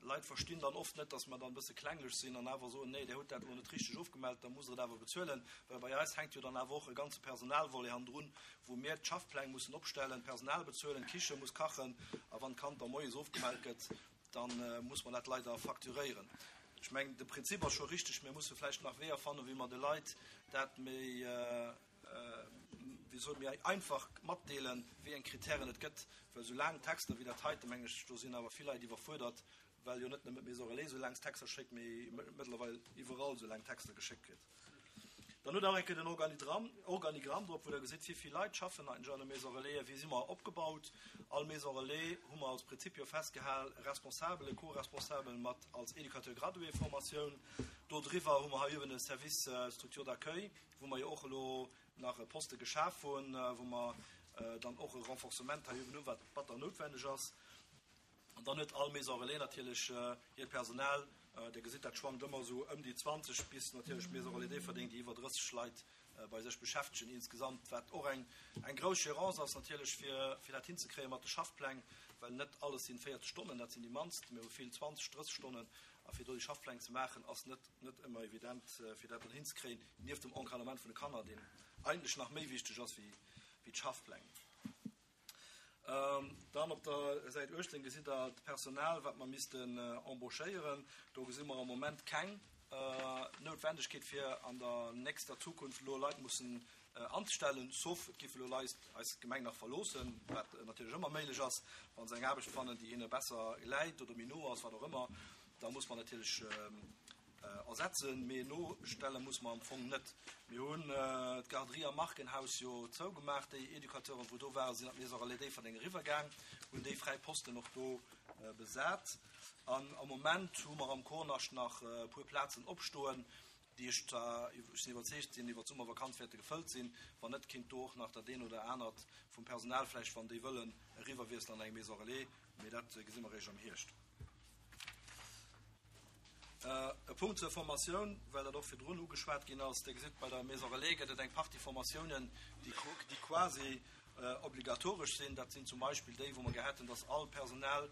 Leit verstinn dann oft net, dass mer dann e bësse klenglech sinn an awer soen, nee, Dir hutt dat elo net richteg ofgemellt, da musst Der et awer bezuelen. Well bei eis hänkt jo dann awer och e ganze Personalvolet hannendrun, wou mir d'Schaffpläng mussen opstellen, d'Personal bezuelen, d'Kiche muss kachen a wann d'Kand da moies ofgemellt gëtt, da muss mer dat leider facturéieren. Ech mengen, de Prinzip ass scho richteg, mir musse vläicht nach Weeër fannen, wéi mer de Leit dat méi, wéi soll méi einfach matdeelen, wéi eng Kritären et gëtt, well esou laang Texter wéi dat heite, mengen ech, do sinn awer vill Leit iwwerfuerdert, well jo net nëmmen d'Maison Relais esou laang Texter schéckt, mee mëttlerweil iwwerall esou laang Texter geschéckt kritt. Dann hutt Der och eng Kéier den Organigramm, Organigramm drop, wou Der gesitt, wéi vill Leit schaffen eigentlech an de Maison Relaisen, wéi si mer opgebaut. All Maison Relais hu mer als Prinzip jo festgehal, Responsabel, e Co-Responsabel mat als Éducateur gradué Formatioun. Do driwwer hu mer hei uewen e Service Structure d'accueil, wou mer jo och elo nach e Poste geschaf hunn, wou mer dann och e Renforcement hei uewen hunn, wat batter noutwenneg ass. An dann huet all Maison relais natierlech hiert Personal. Dir gesitt, dat schwankt ëmmer esou ëm déi 20 bis natierlech d'Maison relais Déifferdeng, déi iwwer 30 Leit bei sech beschäftegen insgesamt, wat och eng grouss Gérance ass natierlech, fir dat hinzekréie mat de Schaffpläng, well net alles sinn 40 Stonnen, dat sinn déi mannst, mir hu vill 20, 30 Stonnen. A fir do déi Schaffpläng ze maachen, ass net net ëmmer evident, fir dat dann hinzekréien, nieft dem Encadrement vun de Kanner, deen eigentlech nach méi wichteg ass wéi d'Schaffpläng. Dann op der Säit 18 gesitt Der d'Personal, wat mer missten embauchéieren. Do gesi mer am Moment keng Noutwendegkeet, fir an der nächster Zukunft elo Leit mussen anzestellen, sauf et géife elo Leit eis Gemeng nach verloossen, wat natierlech ëmmer méiglech ass, wa se eng Aarbecht fannen, déi hinne besser läit oder méi no ass, wat och ëmmer. Da muss mer natierlech ersetzen, mee nostelle muss mer am Fong net. Mir hunn d'Garderie am Markenhaus jo zougemaach. Déi Educateuren, wou do waren, sinn an d'Maison Relais Déifferdeng eriwwergaang, hunn déi fräi Posten och do besat. An am Moment hu mer am Kornascht nach e puer Plazen opstoen, déi ech zwar, ech sinn iwwerzeegt sinn, iwwer d'Summervakanz wäerte gefëllt sinn. Wann net, kinnt do och nach dat een oder anert vum Personal vläicht, wann déi wëllen, eriwwerwiesselen an eng Maison Relais. Mee dat gesi mer eréischt am Hierscht. E Punkt zur Formatioun, well dat och virdrun ugeschwat ginn ass. Dir gesitt, bei der Maison Relais gëtt et eng Partie Formatiounen, déi quasi obligatoresch sinn. Dat sinn zum Beispill déi, wou mer gär hätten, dass all Personal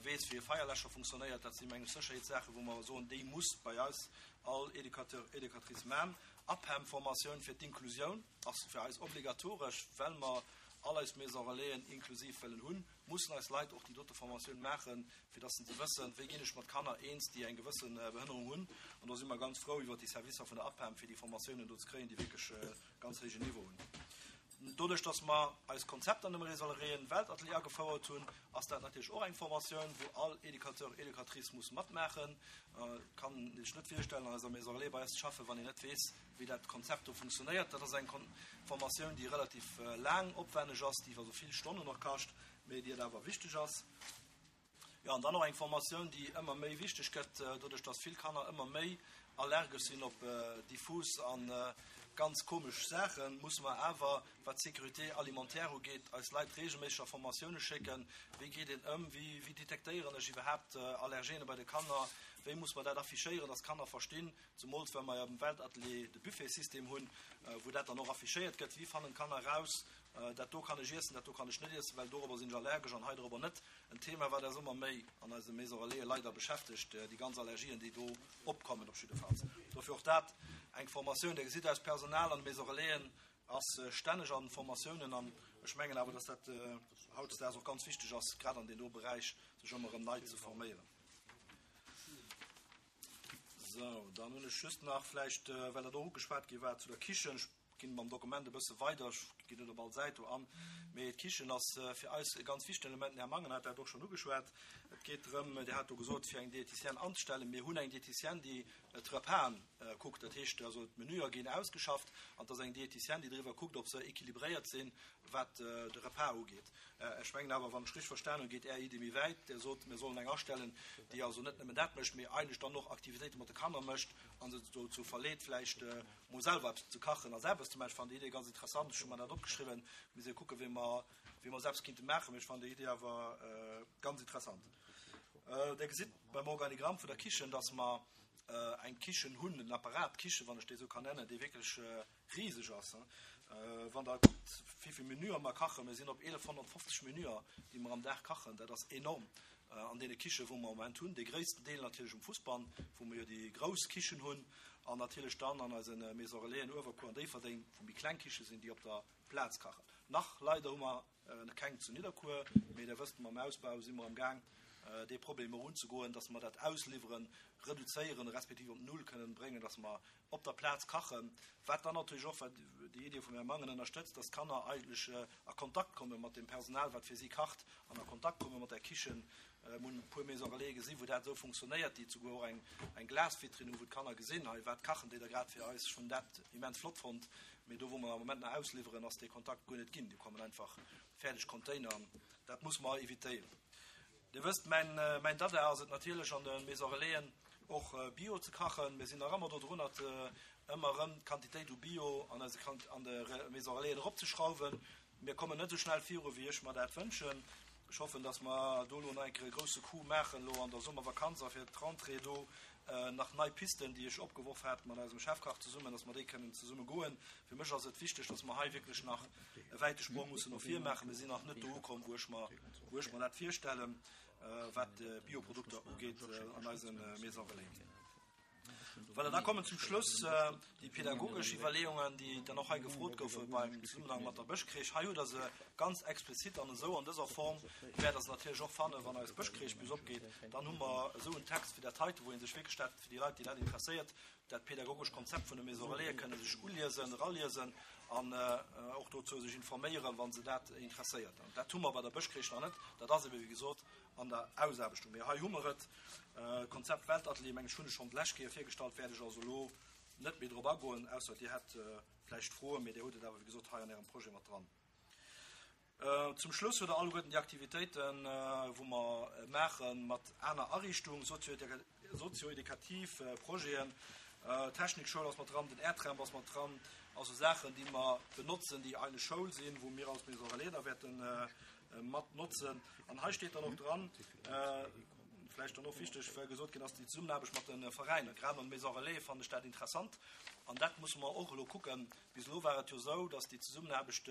weess, wéi e Feierläscher funktionéiert. Dat si meng ech Sécherheetssaachen, wou mer soen, déi muss bei eis all Educateur, Educatrice man. APEM-Formatioun fir d'Inklusioun ass fir eis obligatoresch, well mer all eis Maison Relaisen inklusiv wëllen hunn. Mussen eis Leit och déi dote Formatioun maachen, fir dass se wëssen, wéi ginn ech mat Kanner eens, déi eng gewësse Behënnerung hunn. An do si mer ganz frou iwwert déi Servicer vun der APEM, fir déi Formatiounen do ze kréien, déi wierklech e ganz héijen Niveau hunn. Doduerch, dass mer eist Konzept an dem Résolréen Weltatelier agefouert hunn, ass dat natierlech och eng Formatioun, wou all Educateur, Educatrice muss matmaachen. Et kann ee sech net virstellen, an eiser Maison Relais bei eis ze schaffen, wann een net weess, wéi dat Konzept do funktionéiert. Dat ass eng Formatioun, déi relativ laang, opwenneg ass, déi also vill Stonnen och kascht, mee déi et awer wichteg ass. Jo, an dann och eng Formatioun, déi ëmmer méi wichteg gëtt, doduerch dass vill Kanner ëmmer méi allergesch sinn op diffus a ganz komesch Saachen, musse mer awer, wat d'Sécurité alimentaire ugeet, eis Leit reegelméisseg a Formatioune schécken. Wéi geet een ëm? Wéi, wéi detektéieren ech iwwerhaapt Allergene bei de Kanner? Wéi muss mer dat affichéieren, dass d'Kanner verstinn, Zemools well mer jo am Weltatelier de Buffetsystem hunn, wou dat dann och affichéiert gëtt, Wéi fannen d'Kanner eraus, dat do kann ech iessen, dat do kann ech net iessen, well dorobber sinn ech allergesch an hei dorobber net. En Thema, wat eis ëmmer méi an eise Maison Relaisen leider beschäftegt, déi ganz Allergien, déi do opkommen op jiddefalls. Dofir och dat eng Formatioun. Dir gesitt, eist Personal an de Maison Relaisen ass stänneg an Formatiounen an ech mengen awer, dass dat hautdesdaags och ganz wichteg ass, grad an deem do Beräich sech ëmmer erëm nei ze forméieren. Sou, dann hunn ech just nach vläicht, well dat och ugeschwat gi war, zu der Kichen. Ech ginn mam Dokument e bësse weider, ech ginn net op all Säit do an, mee d'Kichen ass fir eis e ganz wichtegen Element. Den Här Mangen hat dat och schonn ugeschwat. Et geet drëm, Dir hat do gesot, fir eng Diététicienne anzestellen. Mir hunn eng Diététicienne, déi d'Repasen kuckt. Dat heescht also, d'Menüer ginn ausgeschafft an et ass eng Diététicienne, déi driwwer kuckt, ob se équilibréiert sinn, wat de Repas ugeet. Ech mengen awer, wann ech richteg verstan hunn, geet Är Iddi méi wäit. Dir sot, mir sollen eng astellen, déi also net nëmmen dat mécht, mee eigentlech dann och Aktivitéite mat de Kanner mécht a se dozou verleet, vläicht mol selwer eppes ze kachen a selwer eppes ze maachen. Ech fannen déi Idee ganz interessant. Ech hu mer dat opgeschriwwen. Mir si kucken, wéi mer, wéi mer se eppes kinnte maachen. Mee ech fannen déi Idee awer ganz interessant. Dir gesitt beim Organigramm vun der Kichen, dass mer eng Kichen hunn, en Apparat Kichen, wann ech déi esou kann nennen, dee wierklech riseg ass. Wann Der kuckt, wéi vill Menüer mer kachen, mir sinn op 1.150 Menüer, déi mer am Dag kachen, dat ass enorm an deene Kichen, wou mer am Moment hunn. Dee gréissten Deel natierlech um Fussbann, wou mer jo déi grouss Kichen hunn, an natierlech dann an eise Maison Relaisen Uewerkuer an Déifferdeng, wou méi kleng Kiche sinn, déi op der Plaz kachen. Nach leider hu mer keng zu Nidderkuer, mee Der wësst, mam Ausbau si mer am Gaang, dee Problem och unzegoen, dass mer dat Ausliwweren reduzéieren, respektiv op null kënnen bréngen, dass mer op der Plaz kachen, wat dann natierlech och, wat déi Idee vum Här Mangen ënnerstëtzt, dass d'Kanner eigentlech a Kontakt komme mat dem Personal, wat fir si kacht, an a Kontakt komme mat der Kichen. Mir hunn e puer Maisons Relais gesinn, wou dat esou funktionéiert, déi souguer och eng, eng Glasvitrinn hunn, wou d'Kanner gesinn, hei, wat kachen déi da grad fir eis. Ech hunn dat immens flott fonnt. Mee do, wou mer am Moment nach ausliwweren, ass dee Kontakt guer net ginn. Do kommen einfach fäerdeg Container an dat muss mer evitéieren. Dir wësst, mäin, mäin Dada ass et natierlech an de Maisons Relaisen och Bio ze kachen. Mir sinn nach ëmmer do drun, dat ëmmer erëm d'Quantitéit u Bio an eise Kant, an de Maisons Relaisen eropzeschrauwen. Mir kommen net esou schnell viru wéi ech mer dat wënschen. Ech hoffen, dass mer do elo nach eng Kéier e grousse Coup maachen elo an der Summervakanz a fir d'Rentrée do nach nei Pisten, déi ech opgeworf hat mat eisem Chefkach zesummen, dass mer déi kënnen zesumme goen. Fir mech ass et wichteg, dass mer hei wierklech nach e wäite Sprong mussen no vir maachen. Mir sinn nach net do ukomm, wou ech mer, wou ech mer dat virstellen, wat d'Bioprodukter ugeet an eise Maison Relais. Voilà, da kommen zum Schluss déi pädagogesch Iwwerleeungen, déi dann och hei gefrot goufe beim Zesummenhang mat der Bëschcrèche. Hei hutt Der se ganz explizit an esou an dëser Form wäert Der se natierlech och fannen, wann eis Bëschcrèche bis opgeet. Dann hu mer esou en Text wéi dat heite, wou ee sech wierklech dat, fir déi Leit, déi dat interesséiert, dat pädagogesch Konzept vun de Maison Relaisen kënne sech uliesen, eraliesen. An och dozou sech informéieren, wa se dat interesséiert. An dat hu mer bei der Bëschcrèche nach net. Dat ass ebe wéi gesot an der Ausaarbechtung. Mee hei hu mer et, Konzept Weltatelier, mengen ech, hunn ech schonn d'lescht Kéier virgestallt, wäert ech also elo net méi drop agoen, ausser Dir hätt vläicht Froen, mee Dir hutt et awer wéi gesot hei an Ärem Projet mat dran. Zum Schluss hutt Der alleguerten déi Aktivitéiten, wou mer maache mat aner Ariichtung, sozioedukativ Projeten, d'Technikschoul ass mat dran, den Airtramp ass mat dran, also Saachen, déi mer benotzen, déi eine Schoul sinn, wou mir als Maison Relais da wäerte mat notzen. An hei steet dann och dran, vläicht dann och wichteg, well gesot ginn ass, déi Zesummenaarbecht mat de Veräiner, grad an de Maison Relais fannen ech dat interessant an dat musse mer och elo kucken. Bis elo war et jo esou, dass déi Zesummenaarbecht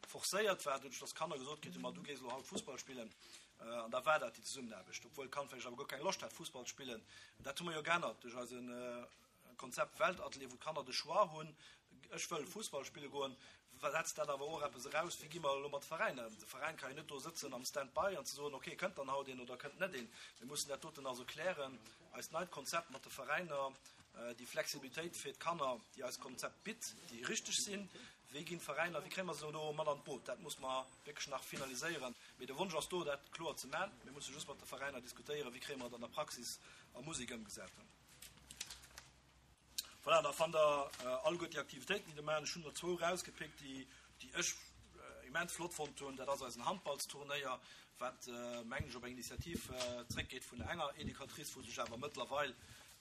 forcéiert war, doduerch dass d'Kanner gesot kritt hunn, ma du gees elo haut Fussball spillen, an da war dat déi Zesummenaarbecht, obwuel d'Kand vläicht awer guer keng Loscht hat Fussball ze spillen. Dat hu mer jo geännert duerch eise Konzept Weltatelier, wou d'Kanner de Choix hunn, ech wëll Fussball spille goen, setzt dat awer och eppes eraus, wéi gi mer elo mat Veräiner ëm? De Veräin ka jo net do sëtzen am Stand-by an ze soen, okay, kënnt dann haut een oder kënnt net een. Mir mussen dat doten also klären, eist neit Konzept mat de Veräiner, déi Flexibilitéit fir d'Kanner, déi eist Konzept bitt, déi richteg sinn, Wéi ginn d'Veräiner, wéi kréie mer se do mat an d'Boot? Dat muss mer wierklech nach finaliséieren. Mee de Wonsch ass do, dat kloer ze man. Mir musse just mat de Veräiner diskutéieren, wéi kréie mer et an der Praxis a Musek ëmgesat. Voilà, da fannt Der alleguer déi Aktivitéiten, déi der maachen. Ech hunn der zwou erausgepickt, déi, déi ech immens flott fonnt hunn. Dat ass eisen Handballsturnéier, wat, mengen ech, op eng Initiativ zréckgeet vun enger Educatrice, wou sech awer mëttlerweil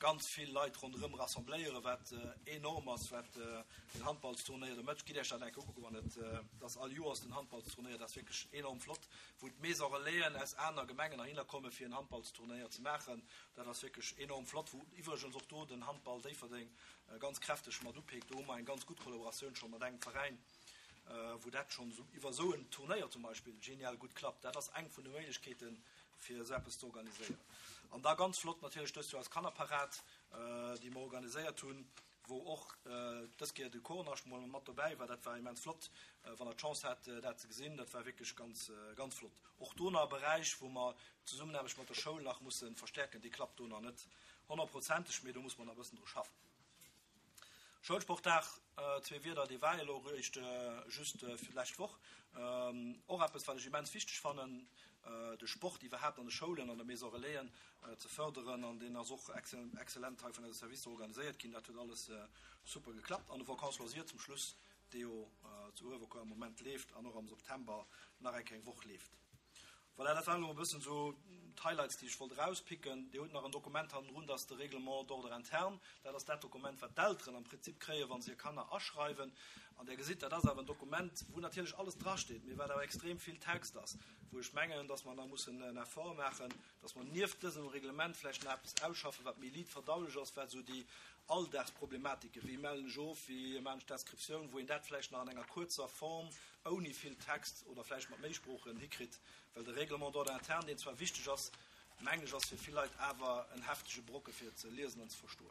ganz vill Leit ronderëm rassembléieren, wat enorm ass, wat den Handballsturnéier do mécht. Gitt Iech dat eng Kéier ukucken, wann et, et ass all Joers den Handballsturnéier, dat ass wierklech enorm flott, wou d'Maison Relaisen aus aner Gemengen heihinner komme fir en Handballsturnéier ze maachen. Dat ass wierklech enorm flott, wou iwwregens och do den Handball Déifferdeng ganz kräfteg mat upeekt. Do hu mer eng ganz gutt Kollaboratioun scho mat engem Veräin, wou dat schonn iwwer esou en Turnéier zum Beispill genial gutt klappt. Dat ass eng vun de Méiglechkeeten, fir esou eppes ze organiséieren. An da ganz flott natierlech dëst Joer eis Kannerparad, déi mer organiséiert hunn, wou och dës Kéier de Chornascht mol mat dobäi war. Dat war immens flott, wann Der d'Chance hat, dat ze gesinn. Dat war wierklech ganz, ganz flott. Och do nach e Beräich, wou mer d'Zesummenaarbecht mat der Schoul nach musse verstäerken. Déi klappt do nach net honnertprozenteg, mee do muss mer nach e bëssen dru schaffen. Schoulsportdag, zwee Wierder, dee war elo eréischt just d'lescht Woch. Och eppes, wat ech immens wichteg fannen, de Sport iwwerhaapt an de Schoulen, an de Maison Relaisen ze fërderen. An deen ass och excellent hei vun eise Servicer organiséiert ginn. Dat huet alles super geklappt. An de Vacances loisirs zum Schluss, dee jo zu Uewerkuer am Moment leeft an och am September nach eng kleng Woch leeft. Voilà, dat waren elo e bëssen esou d'Highlights, déi ech wollt erauspicken. Dir hutt nach en Dokument hannendrun, dat ass de Règlement d'ordre interne. Dat ass dat Dokument, wat d'Elteren am Prinzip kréien, wa se hir Kanner aschreiwen. An Der gesitt, dat ass awer en Dokument, wou natierlech alles drasteet, mee wat awer extrem vill Text ass, wou ech mengen, dass mer nach mussen en Effort maachen, dass mer nieft dësem Reglement vläicht nach eppes ausschaffen, wat méi liit verdaulech ass, wat esou déi Alldagsproblematiken, wéi mellen ech of, wéi maachen ech d'Inscriptioun, wou een dat vläicht nach an enger kuerzer Form ouni vill Text oder vläicht mat méi Sproochen hikritt, well de Règlement d'ordre interne, deen zwar wichteg ass, mengen ech, ass fir vill Leit awer en heftege Brocke fir et ze liesen an ze verstoen.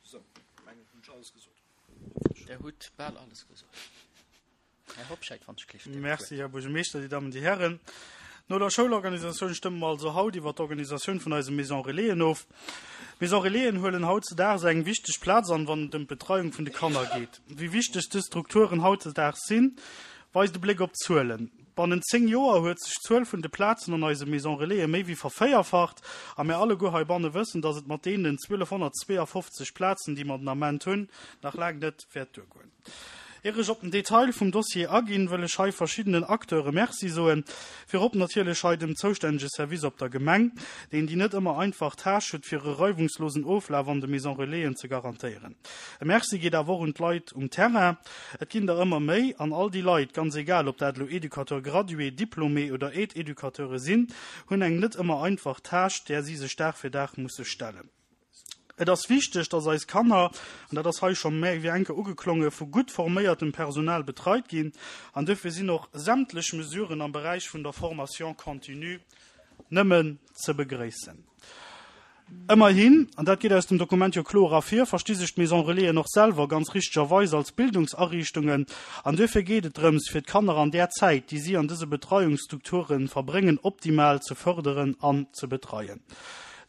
Sou, mengen hunn ech alles gesot. Der hutt bal alles gesot. Här Hobscheit, wann ech gleef. Merci, Här Buergermeeschter, Dir Dammen, Dir Hären. No der Schoulorganisatioun stëmme mer also haut iwwer d'Organisatioun vun eise Maison Relaisen of. D'Maison Relaisen huelen hautzedaags eng wichteg Plaz an, wann et ëm d'Betreiung vun de Kanner geet. Wéi wichteg dës Strukturen hautzedaags sinn, weist e Bléck op d'Zuelen. Bannent 10 Joer huet sech d'Zuel vun de Plazen an eise Maison Relaisen méi wéi vervéierfacht a mir alleguer heibanne wëssen, dass et mat deenen 1252 Plazen, déi mer den Ament hunn, nach laang net wäert duergoen. Ier ech op den Detail vum Dossier aginn, wëll ech hei verschiddenen Acteure Merci soen. Virop natierlech hei dem zoustännege Service op der Gemeng, deen déi net ëmmer einfach Tâche huet, fir e reiwungslosen Oflaf an de Maison Relaisen ze garantéieren. E Merci geet awer och un d'Leit um Terrain. Et ginn der ëmmer méi, an all déi Leit, ganz egal ob dat elo Educateur gradué, Diplômé oder Aide-Educateure sinn, hunn eng net ëmmer einfach Tâche, där si sech Dag fir Dag musse stellen. Et ass wichteg, dass eis Kanner, an dat ass hei scho méi wéi eng Kéier ugeklongen, vu gutt forméiertem Personal betreit ginn. An duerfir sinn och sämtlech Mesuren am Beräich vun der Formation continue nëmmen ze begréissen. Ëmmerhin, an dat geet aus dem Dokument jo kloer ervir, versti sech d'Maison Relaisen och selwer ganz richtegerweis als Bildungsariichtungen. An duerfir geet et drëms, fir d'Kanner an där Zäit, déi si an dëse Betreiungsstrukture verbréngen, optimal ze fërderen an ze betreien.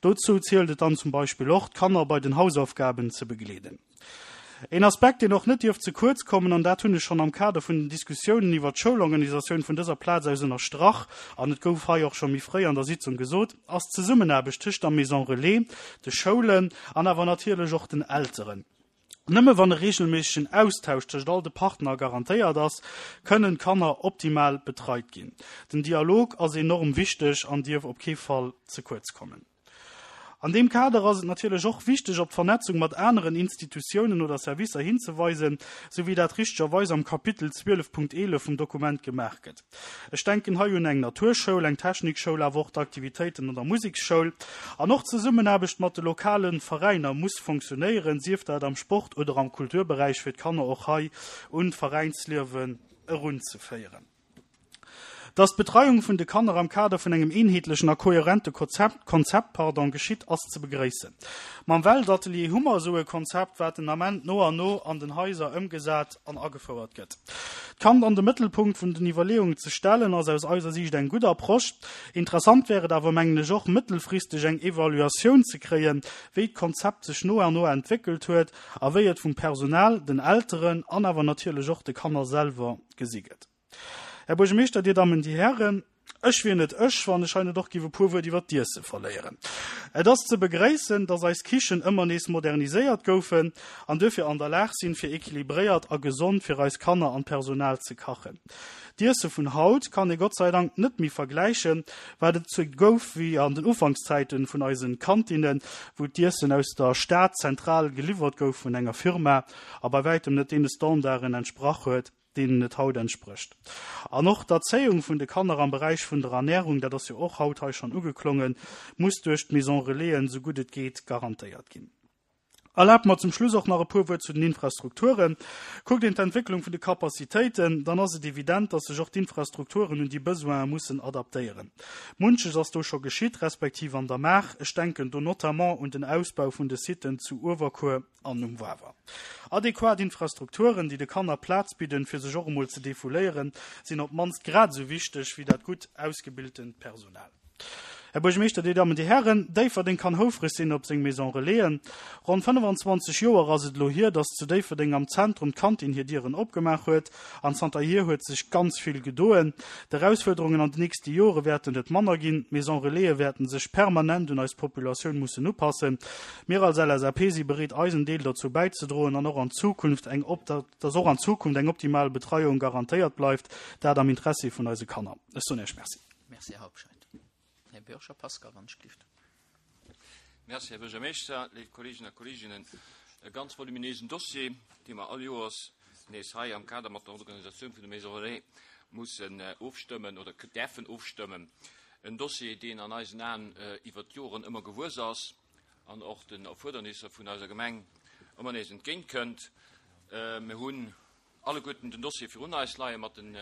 Dozou zielt et dann zum Beispill och, d'Kanner bei den Hausaufgaben ze begleeden. Een Aspekt, deen och net dierf ze kuerz kommen, an dat hunn ech schonn am Kader vun den Diskussiounen iwwert d'Schoulorganisatioun vun dëser Plaz aus ënnerstrach, an et gouf hei och scho méi fréi an der Sitzung gesot, ass d'Zesummenaarbecht tëscht der Maison Relais, de Schoulen an awer natierlech och den Elteren. Nëmme wann e reegelméissegen Austausch tëscht all de Partner garantéiert ass, kënnen d'Kanner optimal betreit ginn. Den Dialog ass enorm wichteg an dierf op kee Fall ze kuerz kommen. An deem Kader ass et natierlech och wichteg, op d'Vernetzung mat aneren Institutiounen oder Servicer hinzeweisen, sou wéi dat richtegerweis am Kapitel 12.11 vum Dokument gemaach gëtt. Ech denken hei un eng Naturschoul, eng Technikschoul, awer och d'Aktivitéiten an der Museksschoul. An och d'Zesummenaarbecht mat de lokale Veräiner muss fonctionnéieren, sief dat am Sport oder am Kulturberäich, fir d'Kanner och hei un d'Veräinsliewen erunzeféieren. Dass d'Betreiung vun de Kanner am Kader vun engem eenheetlechen a kohärente Konzept pardon, geschitt, ass ze begréissen. Mam Weltatelier hu mer esou e Konzept, wat den Ament no an no an den Haiser ëmgesat an agefouert gëtt. D'Kand an de Mëttelpunkt vun den Iwwerleeungen ze stellen, ass aus eiser Siicht eng gutt Approche. Interessant wär et awer, mengen ech, och mëttelfristeg eng Evaluatioun ze kréien, wéi d'Konzept sech no an no entwéckelt huet a wéi et vum Personal, den Elteren an awer natierlech och de Kanner selwer gesi gëtt. Här Buergermeeschter, Dir Dammen, Dir Hären, ech wier net ech, wann ech hei net och giff e puer Wuert iwwert d'Iesse verléieren. Et ass ze begréissen, dass eis Kichen ëmmer nees moderniséiert goufen an duerfir an der Lag sinn, fir equilibréiert a gesond fir eis Kanner an d'Personal ze kachen. D'Iesse vun haut kann ee Gott sei Dank net méi vergläichen, wat et zu gouf wéi an den Ufankszäiten vun eisen Kantinnen, wou d'Iessen aus der Stad zentral geliwwert gouf vun enger Firma a bei wäitem net deene Standarden entsprach huet, deenen et haut entsprécht. An och d'Erzéiung vun de Kanner am Beräich vun der Ernährung, dat ass jo och haut hei schonn ugeklongen, muss duerch d'Maison Relaisen, esou gutt et geet, garantéiert ginn. Erlaabt mer zum Schluss och nach e puer Wuert zu den Infrastrukturen. Kuckt een d'Entwécklung vun de Capacitéiten, dann ass et evident, dass sech och d'Infrastrukturen un déi Besoine mussen adaptéieren. Munches ass do scho geschitt, respektiv an der Maach. Ech denken do notamment un den Ausbau vun de Siten zu Uewerkuer, an um Wawer. Adequat Infrastrukturen, déi de Kanner Plaz bidden, fir sech och emol ze defouléieren, sinn op d'mannst grad esou wichteg wéi dat gutt ausgebiltent Personal. Här Buergermeeschter, Dir Dammen, Dir Hären, Déifferdeng kann houfreg sinn op seng Maison Relaisen. Ronn 25 Joer ass et elo hier, dass zu Déifferdeng am Zentrum d'Kantin hir Dieren opgemaach huet. An zanterhier huet sech ganz vill gedoen. D'Erausfuerderungen an den nächste Jore wäerten net manner ginn. D'Maison Relaisen wäerten sech permanent un eis Populatioun mussen upassen. Mir als LSAP si bereet eisen Deel dozou bäizedroen an och an Zukunft eng dass och an Zukunft eng optimal Betreiung garantéiert bleift, dat am Interessi vun eise Kanner. Ech soen Iech Merci. Merci, Här Hauptscheid. Här Bürger Pascal, wann ech gelift. Merci, Här Buergermeeschter, léif Kolleegen a Kolleeginnen. E ganz voluminéisen Dossier, dee mer all Joers nees hei am Kader mat der Organisatioun vun de Maisons Relais mussen ofstëmmen oder däerfen ofstëmmen. En Dossier, deen an eisen Aen iwwert d'Joren ëmmer gewuess ass an och den Erfuerdernisser vun eiser Gemeng ëmmer nees entgéintkënnt. Mir hunn alleguerten den Dossier virun eis leie mat den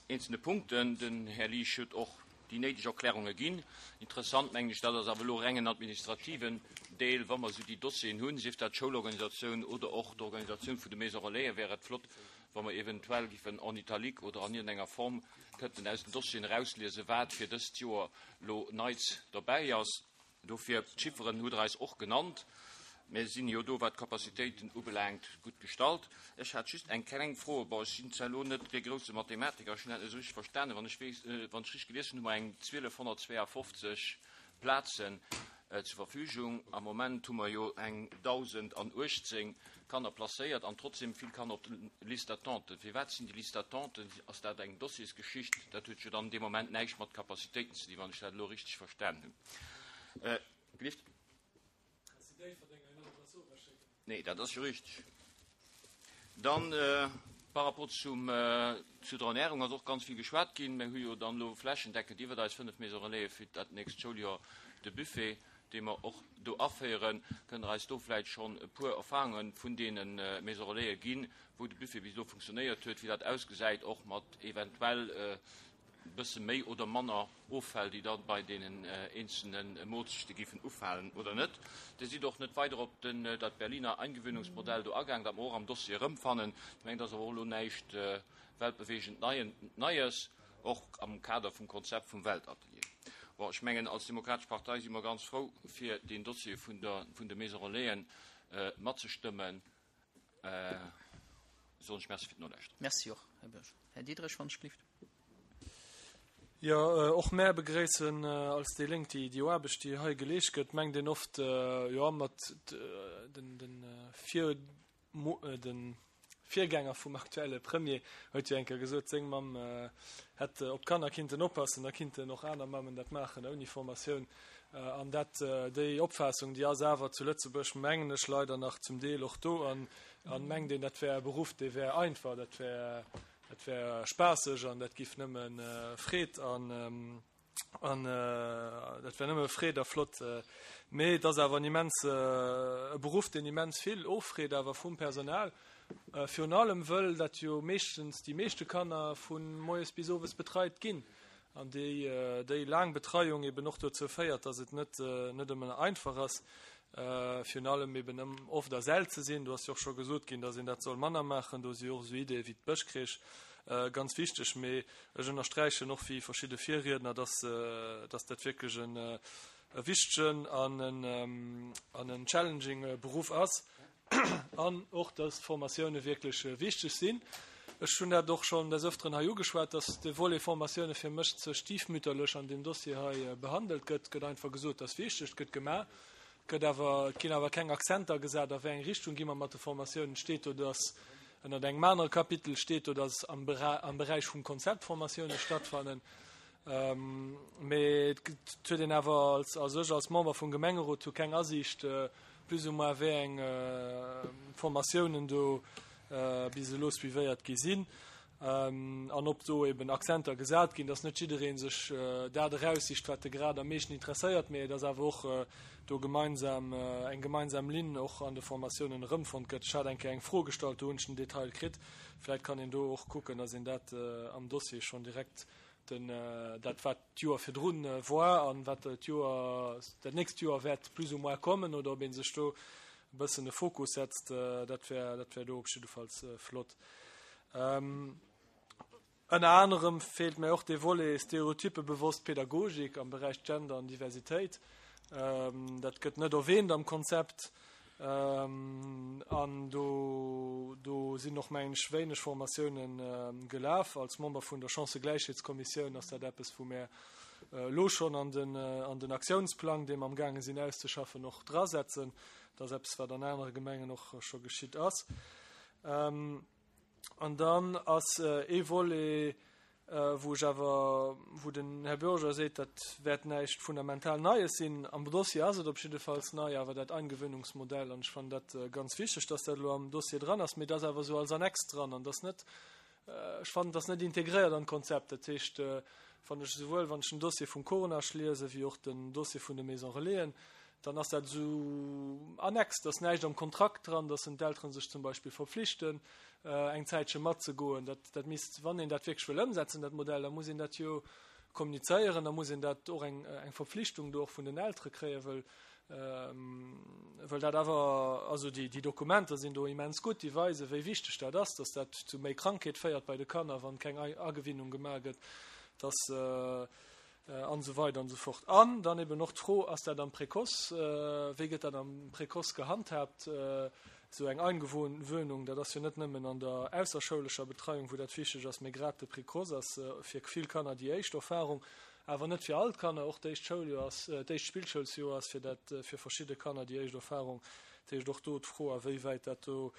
eenzelne Punkten. Den Här Liesch huet och déi néideg Erklärunge ginn. Interessant, mengen ech, dat ass awer elo reng en administrativen Deel, wa mer esou déi Dossieren hunn, sief dat d'Schoulorganisatioun oder och d'Organisatioun vun de Maisons Relaisen, wär et flott, wa mer eventuell giffen en italique oder an iergendenger Form kënnten aus den Dossieren erausliesen, wat fir dëst Joer elo Neits derbäi ass. Dofir, d'Chifferen hutt Der eis och genannt. Mir sinn jo do, wat d'Capacitéiten ubelaangt, gutt gestallt. Ech hat just eng kleng Fro. Bon, ech sinn zwar elo net dee grousse Mathematiker, ech hunn dat net esou richteg verstanen. Wann ech weess, wann ech richteg gelies hunn, hu mer eng 1.252 Plazen zur Verfügung. Am Moment hu mer jo eng 1.018 Kanner placéiert an trotzdem vill Kanner op de Liste d'attente. Firwat sinn déi Liste d'attente? Ass dat eng Dossiersgeschicht? Dat huet jo dann dee Moment näischt mat Capacitéiten ze dinn, wann ech dat elo richteg verstanen hunn. Gelift? Nee, dat ass jo richteg. Dann par rapport zum, zu der Ernährung ass och ganz vill geschwat ginn. Mir hu jo dann elo flächendeckend iwwert eis 5 Maisons Relais fir dat nächst Schouljoer de Buffet, dee mer och do aféieren. Kënnt Der eis do vläicht schonn e puer Erfahrunge vun deene Maisons Relaisen ginn, wou de Buffet bis elo funktionéiert huet, wéi dat ausgesäit, och mat eventuell e bësse méi oder manner Offäll, déi da bei deenen eenzelne Moolzechte géifen ufalen oder net? Dir sidd och net weider op den, dat Berliner Eingewöhnungsmodell do agaang, dat mer och am Dossier erëmfannen. Ech mengen, dat ass awer och elo näischt weltbewegend Neies. Och am Kader vum Konzept vum Weltatelier. Bon, ech mengen, als Demokratesch Partei si mer ganz frou, fir deen Dossier vun der, vun de Maisons Relaisen matzestëmmen. Soen ech Merci fir d'Nolauschteren. Merci och, Här Bürger. Här Diderich, wann ech gelift. Jo, och mär begréissen als déi Lénk déi déi Aarbecht, déi hei geleescht gëtt. Mengt een oft, jo, mat den, den Vir, de Virgänger vum aktuelle Premier huet jo eng Kéier gesot, seng Mamm hätt op d'Kanner kinnten oppassen, da kinnten och aner Mammen dat maachen ouni Formatioun. An dat, déi Opfaassung, déi ass awer zu Lëtzebuerg, mengen ech, leider nach zum Deel och do. An mengt een, dat wär e Beruff, dee wär einfach, dat wär, dat wär spaasseg an dat giff nëmme Freed an, An dat wär nëmme Freed a flott. Mee et ass awer en immens, e Beruff, deen immens vill offreet awer vum Personal. Virun allem wëll dat jo meeschtens déi meeschte Kanner vu moies bis owes betreit ginn. An déi, déi laang Betreiung eben och dozou féiert, dass et net, net ëmmer einfach ass, virun allem eben ëm oft a Säll ze sinn. Do ass jo och scho gesot ginn, dass een dat soll manner maachen. Do si jo och esou Ideeë wéi d'Bëschcrèche ganz wichteg. Mee Ech ënnersträichen och wéi verschidde Virriedner, dass, dass dat wierklech en e wichtegen an en, an en challenging Beruff ass an och, dass d'Formatioune wierklech wichteg sinn. Ech hunn dat och schonn des Öfteren hei ugeschwat, dass de Volet Formatioune fir mech ze stiefmütterlech an deem Dossier hei behandelt gëtt. Et gëtt einfach gesot, dass wichteg, et gëtt gemaach, Et gëtt awer, et ginn awer keng Akzenter gesat, a wéi eng Richtung gi mer mat de Formatiounen. Et steet do, dass ënnert engem anere Kapitel steet do, dass am am Beräich vum Konzept Formatiounen stattfannen. Mee et huet een awer als, also ech als Member vum Gemengerot hu keng Asiicht, plus ou moins wéi eng Formatiounen do bis elo suivéiert gi sinn. An ob do eben Akzenter gesat ginn, dass net jidderee sech dat eraussicht, wat e grad am meeschten interesséiert, mee dass awer och do gemeinsam eng gemeinsam Linn och an de Formatiounen erëmfonnt gëtt. Ech hat eng Kéier eng Fro gestallt, do hunn ech den Detail kritt. Vläicht kann een do och kucken, dass een dat am Dossier schonn direkt den, dat wat d'Joer virdrun war an wat d'Joer, dat nächst Joer wäert plus ou moins kommen, oder ob ee sech do e bëssen e Fokus setzt, dat wär, dat wär do op jiddefalls flott. Ënner anerem feelt mär och dee Volet stereotypebewosst Pädagogik am Beräich Gender an Diversitéit. Dat gëtt net erwähnt am Konzept. An do, do sinn och, mengen ech, wéineg Formatiounen gelaf. Als Member vun der Chancëgläichheetskommissioun ass dat eppes, wou mär elo schonn an den, an den Aktiounsplang, dee mer amgaange sinn auszeschaffen, och drasetzen. Dat ass eppes, wat an anere Gemengen och scho geschitt ass. An dann ass ee Volet, wou ech awer, wou den Här Bürger seet, dat wäert näischt fundamental Neies sinn. Am Dossier ass et op jiddefalls nei, awer dat Eingewöhnungsmodell, an ech fannen dat ganz wichteg, dass dat elo am Dossier dran ass, mee et ass awer esou als Annex dran an dass net, ech fannen, et ass net integréiert an d'Konzept. Dat heescht, wann ech esouwuel, wann ech den Dossier vum Coronage liese wéi och den Dossier vun de Maison Relaisen, dann ass dat esou annex, dass näischt am Kontrakt dran, dass en d'Eltere sech zum Beispill verpflichten, eng Zäitche matzegoen. Dat, dat misst, wann een dat wierklech wëll ëmsetzen, dat Modell, da muss een dat jo kommunizéieren, da muss een dat och eng, eng Verpflichtung do och vun den Eltere kréien, wëll, wëll dat awer, also déi, déi Dokumenter sinn do immens gutt, déi weisen, wéi wichteg dat ass, dass dat zu méi Krankheet féiert bei de Kanner, wann keng Agewinnung gemaach gëtt, dass, An esou weider an esou fort. An dann eben och d'Fro, Ass dat am Précoce, wéi gëtt dat am Précoce gehandhaabt, esou eng Eingewöhnung? Dat ass jo net nëmmen an der ausserschoulescher Betreiung, wou dat wichteg ass, mee grad de Précoce ass fir vill Kanner déi éischt Erfahrung, awer net fir all d'Kanner. Och d'éischt Schouljoer ass, d'éischt Spillschoulsjoer ass fir dat, fir verschidde Kanner déi éischt Erfahrung. Dat heescht, och do d'Fro, a wéi wäit dat do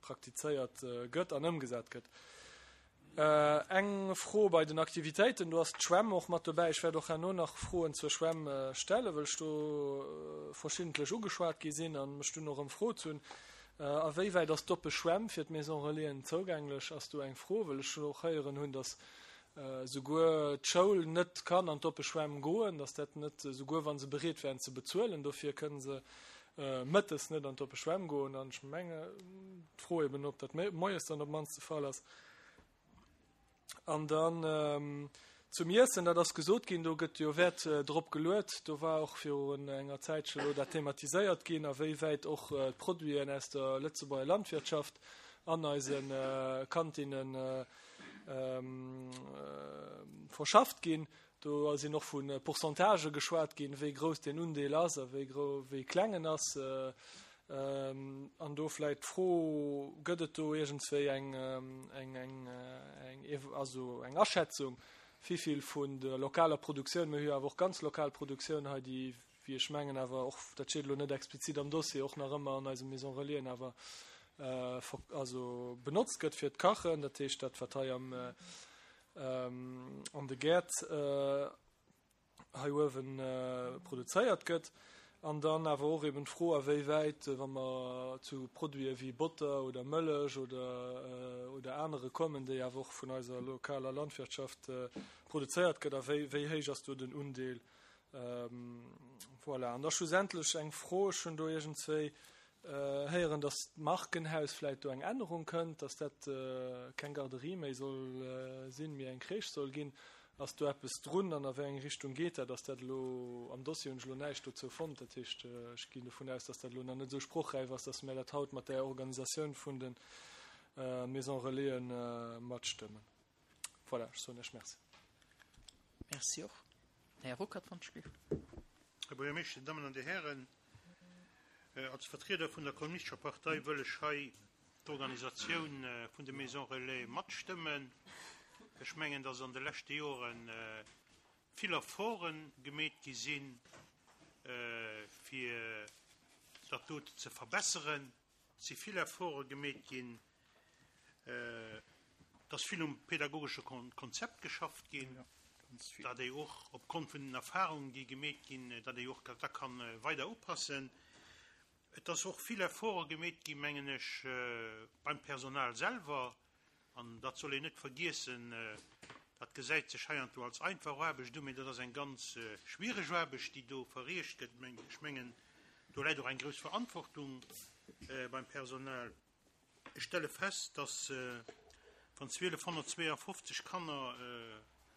praktizéiert gëtt an ëmgesat gëtt. Eng Fro bei den Aktivitéiten, do ass d'Schwämm och mat dobäi. Ech wäert och herno nach Froen zur Schwämm stellen, wëll ech do verschiddentlech ugeschwat gi sinn a mech dunn och ëmfrot hunn. A wéi wäit ass d'oppe Schwämm fir d'Maison Relaisen zougänglech, ass do eng Fro, wëll ech och héieren hunn, datt souguer d'Schoul net kann an d'oppe Schwämm goen, datt dat net, souguer wa se bereet wären ze bezuelen dofir, kënne se mëttes net an d'oppe Schwämm goen. An ech menge, d'Fro eben, ob dat moies dann op d'mannst de Fall ass. An dann zum Iessen, dat ass gesot ginn, do gëtt jo Wäert drop geluet. Do war och virun enger Zäitche lo dat thematiséiert ginn, a wéi wäit och d'Produiten aus der Lëtzebuerger Landwirtschaft an eise Kantinne verschafft ginn. Do sinn och vu Pourcentagë geschwat ginn, wéi grouss deen Undeel ass a wéi kleng en ass. An do vläicht d'Fro, Gëtt et do iergendswéi eng, eng, eng, eng, also eng Aschätzung, wivill vun der lokaler Produktioun, mir hu jo awer och ganz lokal Produktioun hei, déi, wéi ech mengen, awer och, dat steet elo net explizit am Dossier, och nach ëmmer an eise Maison Relaisen awer also benotzt gëtt fir d'Kachen, dat heescht dat, wat hei am, an de Gäert hei uewen produzéiert gëtt, an dann awer och eben d'Fro a wéi wäit, wa mer zu Produite wéi Botter oder Mëllech oder oder anere kommen, déi awer och vun eiser lokaler Landwirtschaft produzéiert gëtt, a wéi wéi héich ass do den Undeel. Voilà. An da schlussendlech eng Fro, ech hunn do iergendzwéi Héieren, dass d'Markenhaus vläit do eng Ännerung kënnt, dass dat keng Garderie méi soll sinn, mee eng Crèche soll ginn. Ass do eppes drun an a wéi eng Richtung geet dat? Ass dat elo, am Dossier hunn ech elo näischt dozou fonnt, dat heescht, ech ginn dovun aus, dass dat elo nach net esou sprochräif ass, dass mir dat haut mat där Organisatioun vun de Maisons Relaisen matstëmmen. Voilà, ech soen Iech Merci. Merci och. Här Ruckert, wann ech géif. Här Buergermeeschter, Dir Dammen an Dir Hären, als Vertrieder vun der Kommunistescher Partei wëll ech hei d'Organisatioun vun de Maisons Relais matstëmmen. Ech mengen, dass an de leschte Jore vill Efforte gemeet gi sinn, fir dat dote ze verbesseren. Et si vill Efforte gemeet ginn, et ass vill um pedagogesche Konzept geschafft ginn, dat ee och opgrond vun den Erfahrungen, déi gemeet ginn, dat ee och dat da ka weider upassen. Et ass och vill Efforte gemeet ginn, mengen ech, beim Personal selwer, An dat soll een net vergiessen, dat gesäit sech heiansdo als einfach Aarbecht u, mee dat ass eng ganz schwiereg Aarbecht, déi do verriicht gëtt. Ech mengen, do läit och eng grouss Verantwortung beim Personal. Ech stelle fest, dass, wann 1.252 Kanner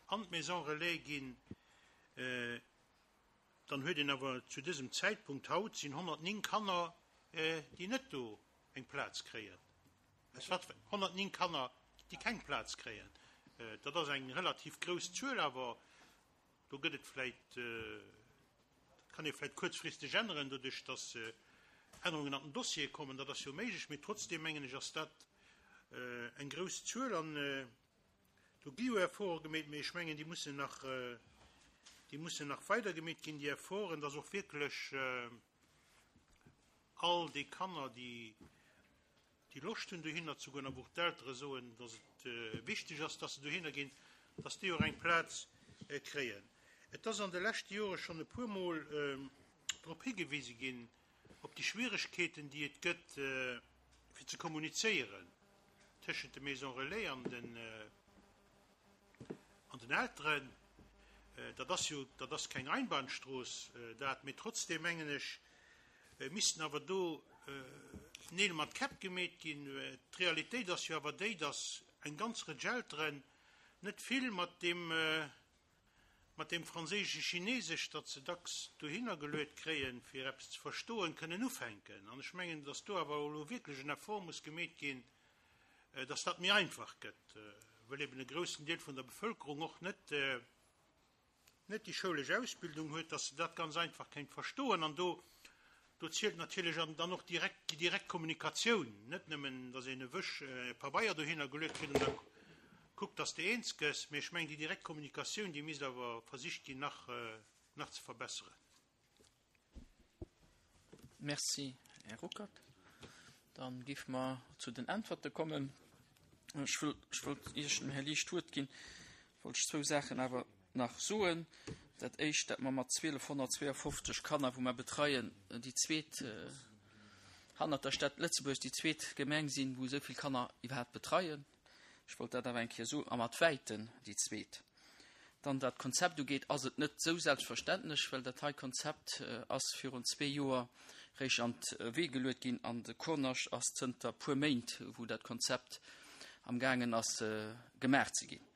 an d'Maison relais ginn, dann huet een awer zu dësem Zäitpunkt haut sinn 109 Kanner, déi net do eng Plaz kréien. Es wat 109 Kanner, déi keng Plaz kréien. Dat ass eng relativ grouss Zuel, awer do gëtt et vläicht, dat kann ee vläicht kuerzfristeg änneren, doduerch datt Ännerungen an den Dossiere kommen. Dat ass jo méiglech, mee trotzdeem mengen ech ass dat eng grouss Zuel. An do gi jo Efforte gemeet, mee ech mengen, déi mussen nach, déi mussen nach weider gemeet ginn, déi Efforten, datt och wierklech all déi Kanner, déi déi Loscht hunn dohinner ze goen a wou och d'Eltere soen, datt et wichteg ass, datt se dohinner ginn, datt déi och eng Plaz kréien. Et ass an de leschte Jore schonn e puermol drop higewise ginn, op déi Schwieregkeeten, déi et gëtt, fir ze kommunizéieren tëschent de Maisons Relais an den An den Elteren, dat ass jo, dat ass keng Einbahnstrooss dat, mee trotzdeem mengen ech, missten awer do Neel mat Käpp gemeet ginn. D'Realitéit ass jo awer déi, datt eng ganz Rëtsch Elteren net vill mat deem, mat deem franséische Chinesesch, dat se dacks dohinner geluet kréien, fir eppes ze verstoen, kënnen ufänken. An ech mengen, datt do awer elo wierklech en Effort muss gemeet ginn, dass dat méi einfach gëtt, wëll eben e groussen Deel vun der Bevölkerung och net net déi schoulesch Ausbildung huet, dass se dat ganz einfach kéint verstoen. An do do zielt natierlech an dann och direkt déi direkt Kommunikatioun, net nëmmen, dass een e Wësch Pabeier dohinner geluet kritt an da kuckt, dass de eens gëss, mee ech mengen, déi direkt Kommunikatioun, déi misst awer versicht ginn nach nach ze verbesseren. Merci, Här Ruckert. Dann géife mer zu den Äntwerte kommen. Ech wëll, ech wollt, ier ech dem Här Liesch d'Wuert ginn, wollt ech zwou Saachen awer nach soen. Dat Éischt, dat mer mat 1.252 Kanner, wou mer betreien, déi zweet, hannert der Stad Lëtzebuerg, déi zweet Gemeng sinn, wou esou vill Kanner iwwerhaapt betreien. Ech wollt dat awer eng Kéier soen, a mat wäiten déi zweet. Dann, wat d'Konzept ugeet, ass et net esou selbstverständlech, well dat hei Konzept ass virun zwee Joer réischt an d'Wee geluet ginn an de Kurnascht ass zënter puer Méint, wou dat Konzept amgaangen ass gemaach ze ginn.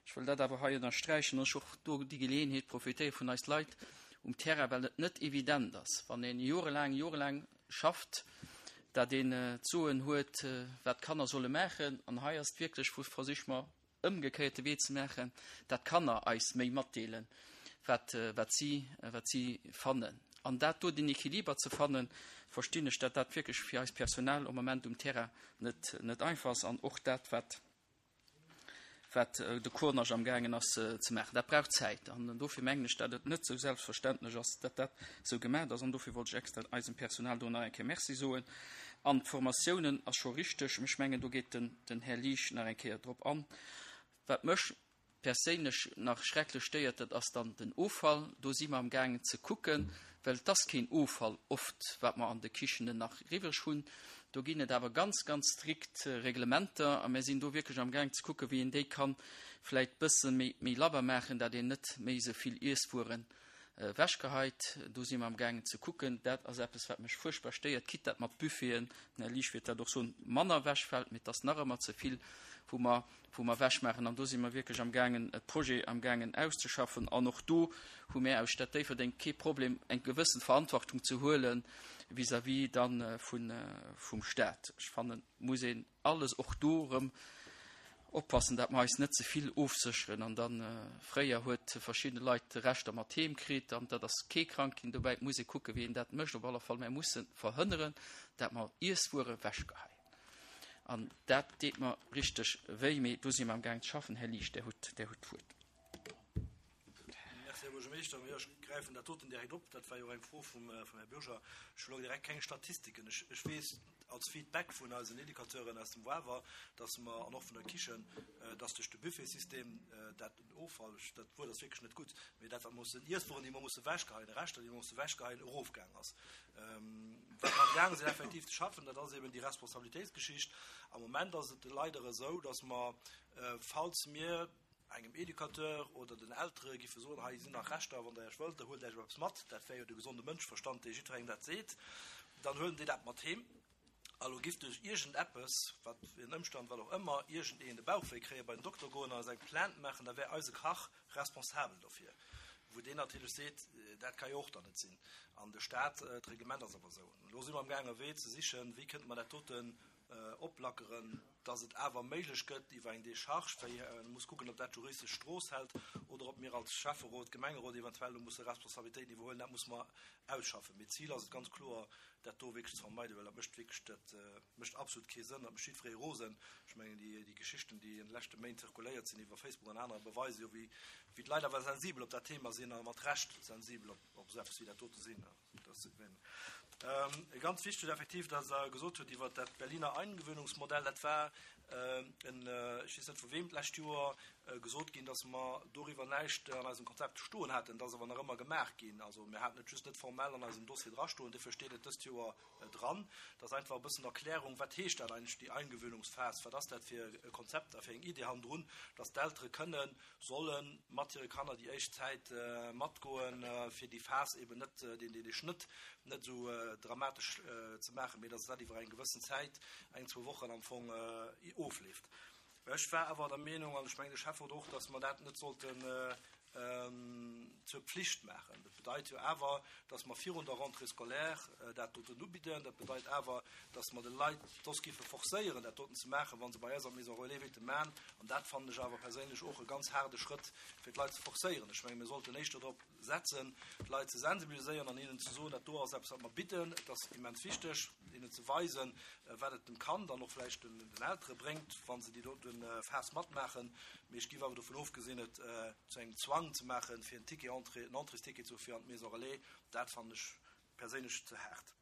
Ech wëll dat awer hei ënnersträichen an ech och do déi Geleeënheet profitéiere vun eis Leit um Terrain, well et net evident ass, wann een jorelaang, jorelaang schafft, dat een d'Soen huet, wat d'Kanner solle maachen. An hei ass et wierklech, wou versiche mer ëmgekéierte Wee ze maachen, dat d'Kanner eis méi matdeelen, wat, wat si, wat si fannen. An dat do, deen Equiliber ze fannen, verstinn ech, dat dat wierklech fir eist Personal am Moment um Terrain net, net einfach ass. An och dat, wat, wat de Cournage amgaangen ass ze maachen, dat brauch Zäit. An dofir mengen ech, dat et net esou selbstverständlech ass, dat dat esou gemaach ass. An dofir wollt ech extra eisem Personal do nach eng Kéier Merci soen. An d'Formatiounen ass scho richteg, ech mengen, do geet den, den Här Liesch nach eng Kéier drop an. Wat mech perséinlech nach schrecklech stéiert, dat ass dann den Offall. Do si mer amgaangen ze kucken, well et ass keen Offall oft, wat mer an de Kichenen nach eriwwreg hunn. Do ginn et awer ganz, ganz strikt Reglementer a mir sinn do wierklech amgaangen ze kucken, wéi een déi kann vläicht bësse méi, méi labber maachen, dat een net méi esou vill Iesswueren ewechgeheit. Do si mer amgaangen ze kucken. Dat ass eppes, wat mech fuerchtbar stéiert, quitte dat mat Buffeten, den Här Liesch wäert dat och soen, manner ewechfält, mee et ass nach ëmmer ze vill, wou mer wou mer ewechmaachen. An do si mer wierklech amgaangen, e Projet amgaangen auszeschaffen. An och do hu mär aus Stad Déifferdeng kee Problem, eng gewëssen Verantwortung ze huele vis-à-vis da vum Stat. Ech fannen, et muss een alles och do erëm oppassen, dat mer eis net ze vill ofsécheren. An da fréier huet verschidde Leit Reschter mat heem kritt an dat ass kee krank ginn dobäi. Et muss ee kucken, wéi een dat mécht. Op alle Fall, mär musse verhënneren, dat mer Iesswuere ewechgeheien. An dat deet mer richteg wéi, mee do si mer amgaang ze schaffen. Här Liesch, Där hutt, Där hutt d'Wuert. Merci, Här Buergermeeschter. Jo, ech gräifen dat doten direkt op. Dat war jo och eng Fro vum, vum Här Bürger. Ech hu lo direkt keng Statistiken. Ech, ech weess als Feedback vun eisen Educateuren aus dem Wawer, dass mer, an och vun der Kichen, dass duerch de Buffetsystem dat den Offall, ech, dat Wuert ass wierklech net gutt, mee dat, wat mussen, Iesswueren, déi mer musse wechgeheien, Reschter, déi mer musse wechgeheien, erofgaang ass. Wat mer amgaange sinn effektiv ze schaffen, dat ass eben déi Responsabilitéitsgeschicht. Am Moment ass et leider esou, dass mer, falls mir engem Educateur oder den Eltere giffe soen, hei sinn nach Reschter, wann Der Iech wëllt, da huelt Iech eppes mat, dat wär jo de gesonde Mënscheverstand, dee jiddwerengem dat seet, dann huelen déi dat mat heem. A lo giff duerch iergendeppes, wat fir en Ëmstand, wat och ëmmer, iergendeen de Bauchwéi kréien, bei den Dokter goen an eis eng Plainte maachen, da wär eise Kach responsabel dofir. Wou deen natierlech seet, dat ka jo och dann net sinn. An de Staat, d'Reglement ass awer esou. Elo si mer amgaangen e Wee ze sichen, wéi kënnte mer dat doten oplackeren, dass et awer méiglech gëtt iwwer eng Décharge, wéi ee muss kucken, ob dat juristesch Strooss hält oder ob mir als Schäfferot, Gemengerot eventuell do musse Responsabilitéiten iwwerhuelen, dat musse mer ausschaffen. Mee d'Zil ass et ganz kloer, dat do wierklech ze vermeiden, well dat mécht wierklech, dat mécht absolut kee Sënn, dat mécht jiddweree rosen. Ech mengen, déi, déi Geschichten, déi an de leschte Méint zirkuléiert sinn iwwer Facebook an anerer, beweise jo, wéi, wéi d'Leit awer sensibel op dat Thema sinn a mat Recht sensibel op, op esou eppes wéi dat dote sinn. Dat ass ganz wichteg effektiv, dass Der gesot hutt iwwert dat Berliner Eingewöhnungsmodell, dat war en, ech weess net vu wem, d'lescht Joer gesot ginn, dass mer doriwwer näischt an eisem Konzept stoen haten. Dat ass awer nach ëmmer gemaach ginn. Also mir haten et just net formell an eisem Dossier drastoen, dofir steet et dëst Joer dran. Dat ass einfach e bëssen Erklärung, wat heescht dat eigentlech, déi Eingewöhnungsphas, wat ass dat fir e Konzept a fir eng Idee hannendrun, dass d'Eltere kënnen, solle mat hire Kanner déi éischt Zäit matgoen, fir déi Phas eben net, deen, dee Schnëtt net esou dramatesch ze maachen, mee dass dat iwwer eng gewëssen Zäit, eng, zwou Wochen am Fong, ofleeft. Ech war awer der Meenung, an ech mengen de Schäfferot och, dass mer dat net sollten zur Pflicht maachen. Dat bedeit jo awer, dass mer virun der Rentrée scolaire dat doten ubidden. Dat bedeit awer, dass mer de Leit soss géife forcéieren, dat doten ze maachen, wa se bei eis an d'Maison relais wéilte maachen. An dat fannen ech awer perséinlech och e ganz haarde Schrëtt, fir d'Leit ze forcéieren. Ech menge mir sollten éischter drop setzen, d'Leit ze sensibiliséieren an hinnen ze soen, dat do ass eppes, wat mer bidden, et ass immens wichteg, hinnen ze weisen, wat et dem Kand an och vläicht den Eltere bréngt, wa se déi dote Phas matmaachen. Mee ech géif awer dovun ofgesinn, et zu engem Zwang ze maachen, fir en Ticket entrée, en Entréesticket ze hu fir an d'Maison relais, dat fannen ech perséinlech ze haart.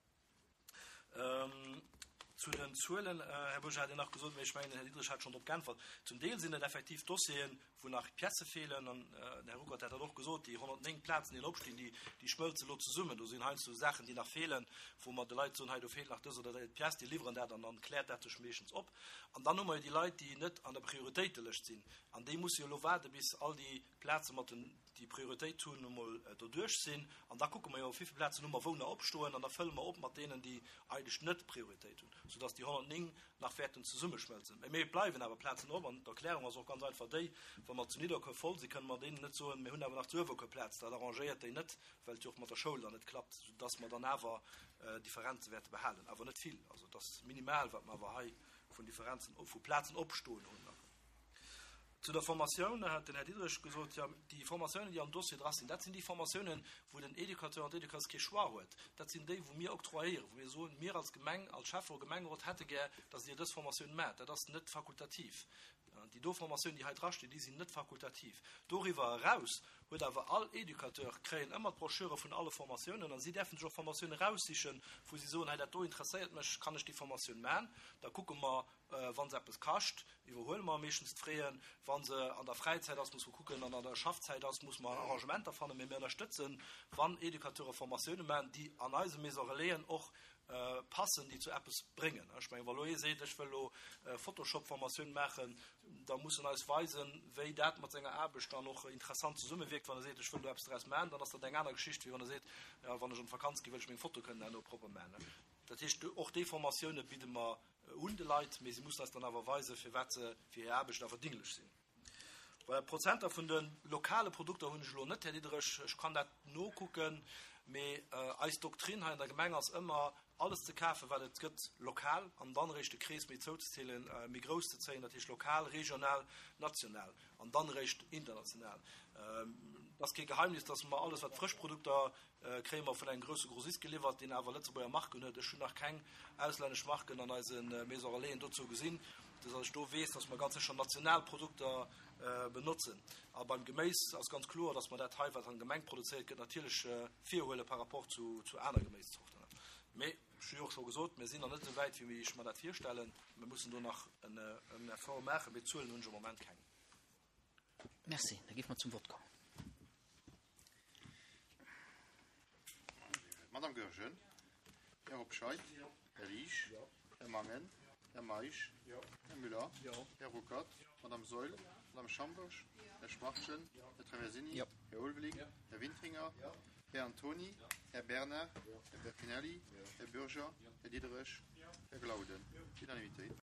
Zu den Zuelen, Här Bourget hat Dir nach gesot, mee ech mengen, den Här Diderich hat schonn drop geäntwert. Zum Deel sinn et effektiv Dossieren, wou nach Piècë feelen. An den Här Ruckert hat dat och gesot, déi 109 Plazen, déi nach opstinn, déi, déi schmëlze elo zesummen. Do sinn heiansdo Saachen, déi nach feelen, wou mer de Leit soen, hei do feelt nach dës oder déi Pièce, déi liwweren dat an dann kläert dat sech meeschtens op. An dann hu mer jo déi Leit, déi net an der Prioritéitelëscht sinn. An déi musse jo elo waarde bis all déi Plaze mat den, déi Prioritéit hunn, emol doduerch sinn. An da kucke mer jo, wéi vill Plazen hu mer wou nach opstoen. An da fëlle mer op mat deenen, déi eigentlech net Prioritéit hunn, soudass déi 109 nach wäerten zesummeschmëlzen. Mä et bleiwen awer Plazen op. An d'Erklärung ass och ganz einfach déi, Wa mer zu Nidderkuer voll sinn, kënne mer deenen net soen, mir hunn awer nach zu Uewerkuer Plaz. Dat arrangéiert déi net, well et jo och mat der Schoul dann net klappt, soudass mer dann awer Differenze wäerte behalen. Awer net vill. Also et ass minimal, wat mer awer hei vun Differenzen, vu Plazen opstoen hunn. Zu der Formatioun hat den Här Diderich gesot, jo, déi Formatiounen, déi am Dossier dra sinn, dat sinn déi Formatiounen, wou den Educateur an d'Educatrice kee Choix huet. Dat sinn déi, wou mir octroyéieren, wou mir soen, mir als Gemeng, als Schäfferot, Gemengerot hätte gär, dass Dir dës Formatioun maacht. Dat ass net fakultativ. Déi do Formatiounen, déi hei drastinn, déi sinn net fakultativ. Doriwwer eraus huet awer all Educateur, kréien ëmmer d'Broschüre vun alle Formatiounen a si däerfen sech och Formatiounen eraussichen, wou si soen, hei dat do interesséiert mech, kann ech déi Formatioun maachen? Da kucke mer, Wa se eppes kascht, iwwerhuele mer meeschtens d'Fraien. Wa se an der Fräizäit ass, muss mer kucken, an an der Schaffzäit ass, muss mer Arrangementer fannen. Mee mir ënnerstëtzen, wann Educateure Formatioune maachen, déi an eise Maison Relaisen och passen, déi zu eppes bréngen. Ech mengen, wa lo ee seet, ech wëll elo Photoshop-Formatioun maachen, da muss en eis weisen, wéi dat mat senger Aarbecht dann och interessant zesummewierkt. Wann e seet, ech wëll do eppes draus maachen, dann ass dat eng aner Geschicht, wéi wann e seet, jo, wann ech an d'Vakanz ginn, wëll ech meng Foto kënnen herno propper maachen. Dat heescht, och déi Formatioune bidde mer un de Leit, mee si mussen eis dann awer weisen, firwat se fir hir Aarbecht awer dinglech sinn. Voilà, d'Prozenter vun de lokale Produkter hunn ech elo net, Här Diderich, ech kann dat nokucken, mee eis Doktrin hei an der Gemeng ass ëmmer, alles ze kafen, wat et gëtt, lokal, an dann eréischt de Krees méi zouzezielen, méi grouss ze zéien, dat heescht lokal, regional, national an dann eréischt international. Et ass kee Geheimnis, dass mer alles, wat frësch Produkter Kréie mer vun engem grousse Grossist geliwwert, deen awer Lëtzebuerger Marken huet. Ech hunn nach keng auslännesch Marken an eise Maison Relaisen dozou gesinn, esou datt ech do weess, datt mer ganz sécher national Produkter benotzen. A beim Geméis ass ganz kloer, datt mer dat hei, wat an der Gemeng produzéiert gëtt, natierlech virhuele par rapport zu aner Geméiszorten. Mee ech hu jo och scho gesot, mir sinn nach net esou wäit, wéi ech mer dat virstellen. Mir mussen do nach en Effort maachen, mee Zuelen hunn ech am Moment keng. Merci. Da géife mer zum Vott kommen. Madame Goergen, Här Hobscheit, Här Liesch, Här Mangen, Här Meisch, Här Müller, Här Ruckert, Madame Saeul, Madame Schambourg, Här Schwachtgen, Här Traversini, Här Ulveling, Här Wintringer, Här Antony, Här Bernard, Här Bertinelli, Här Bürger, Här Diderich, Här Glauden. Unanimitéit.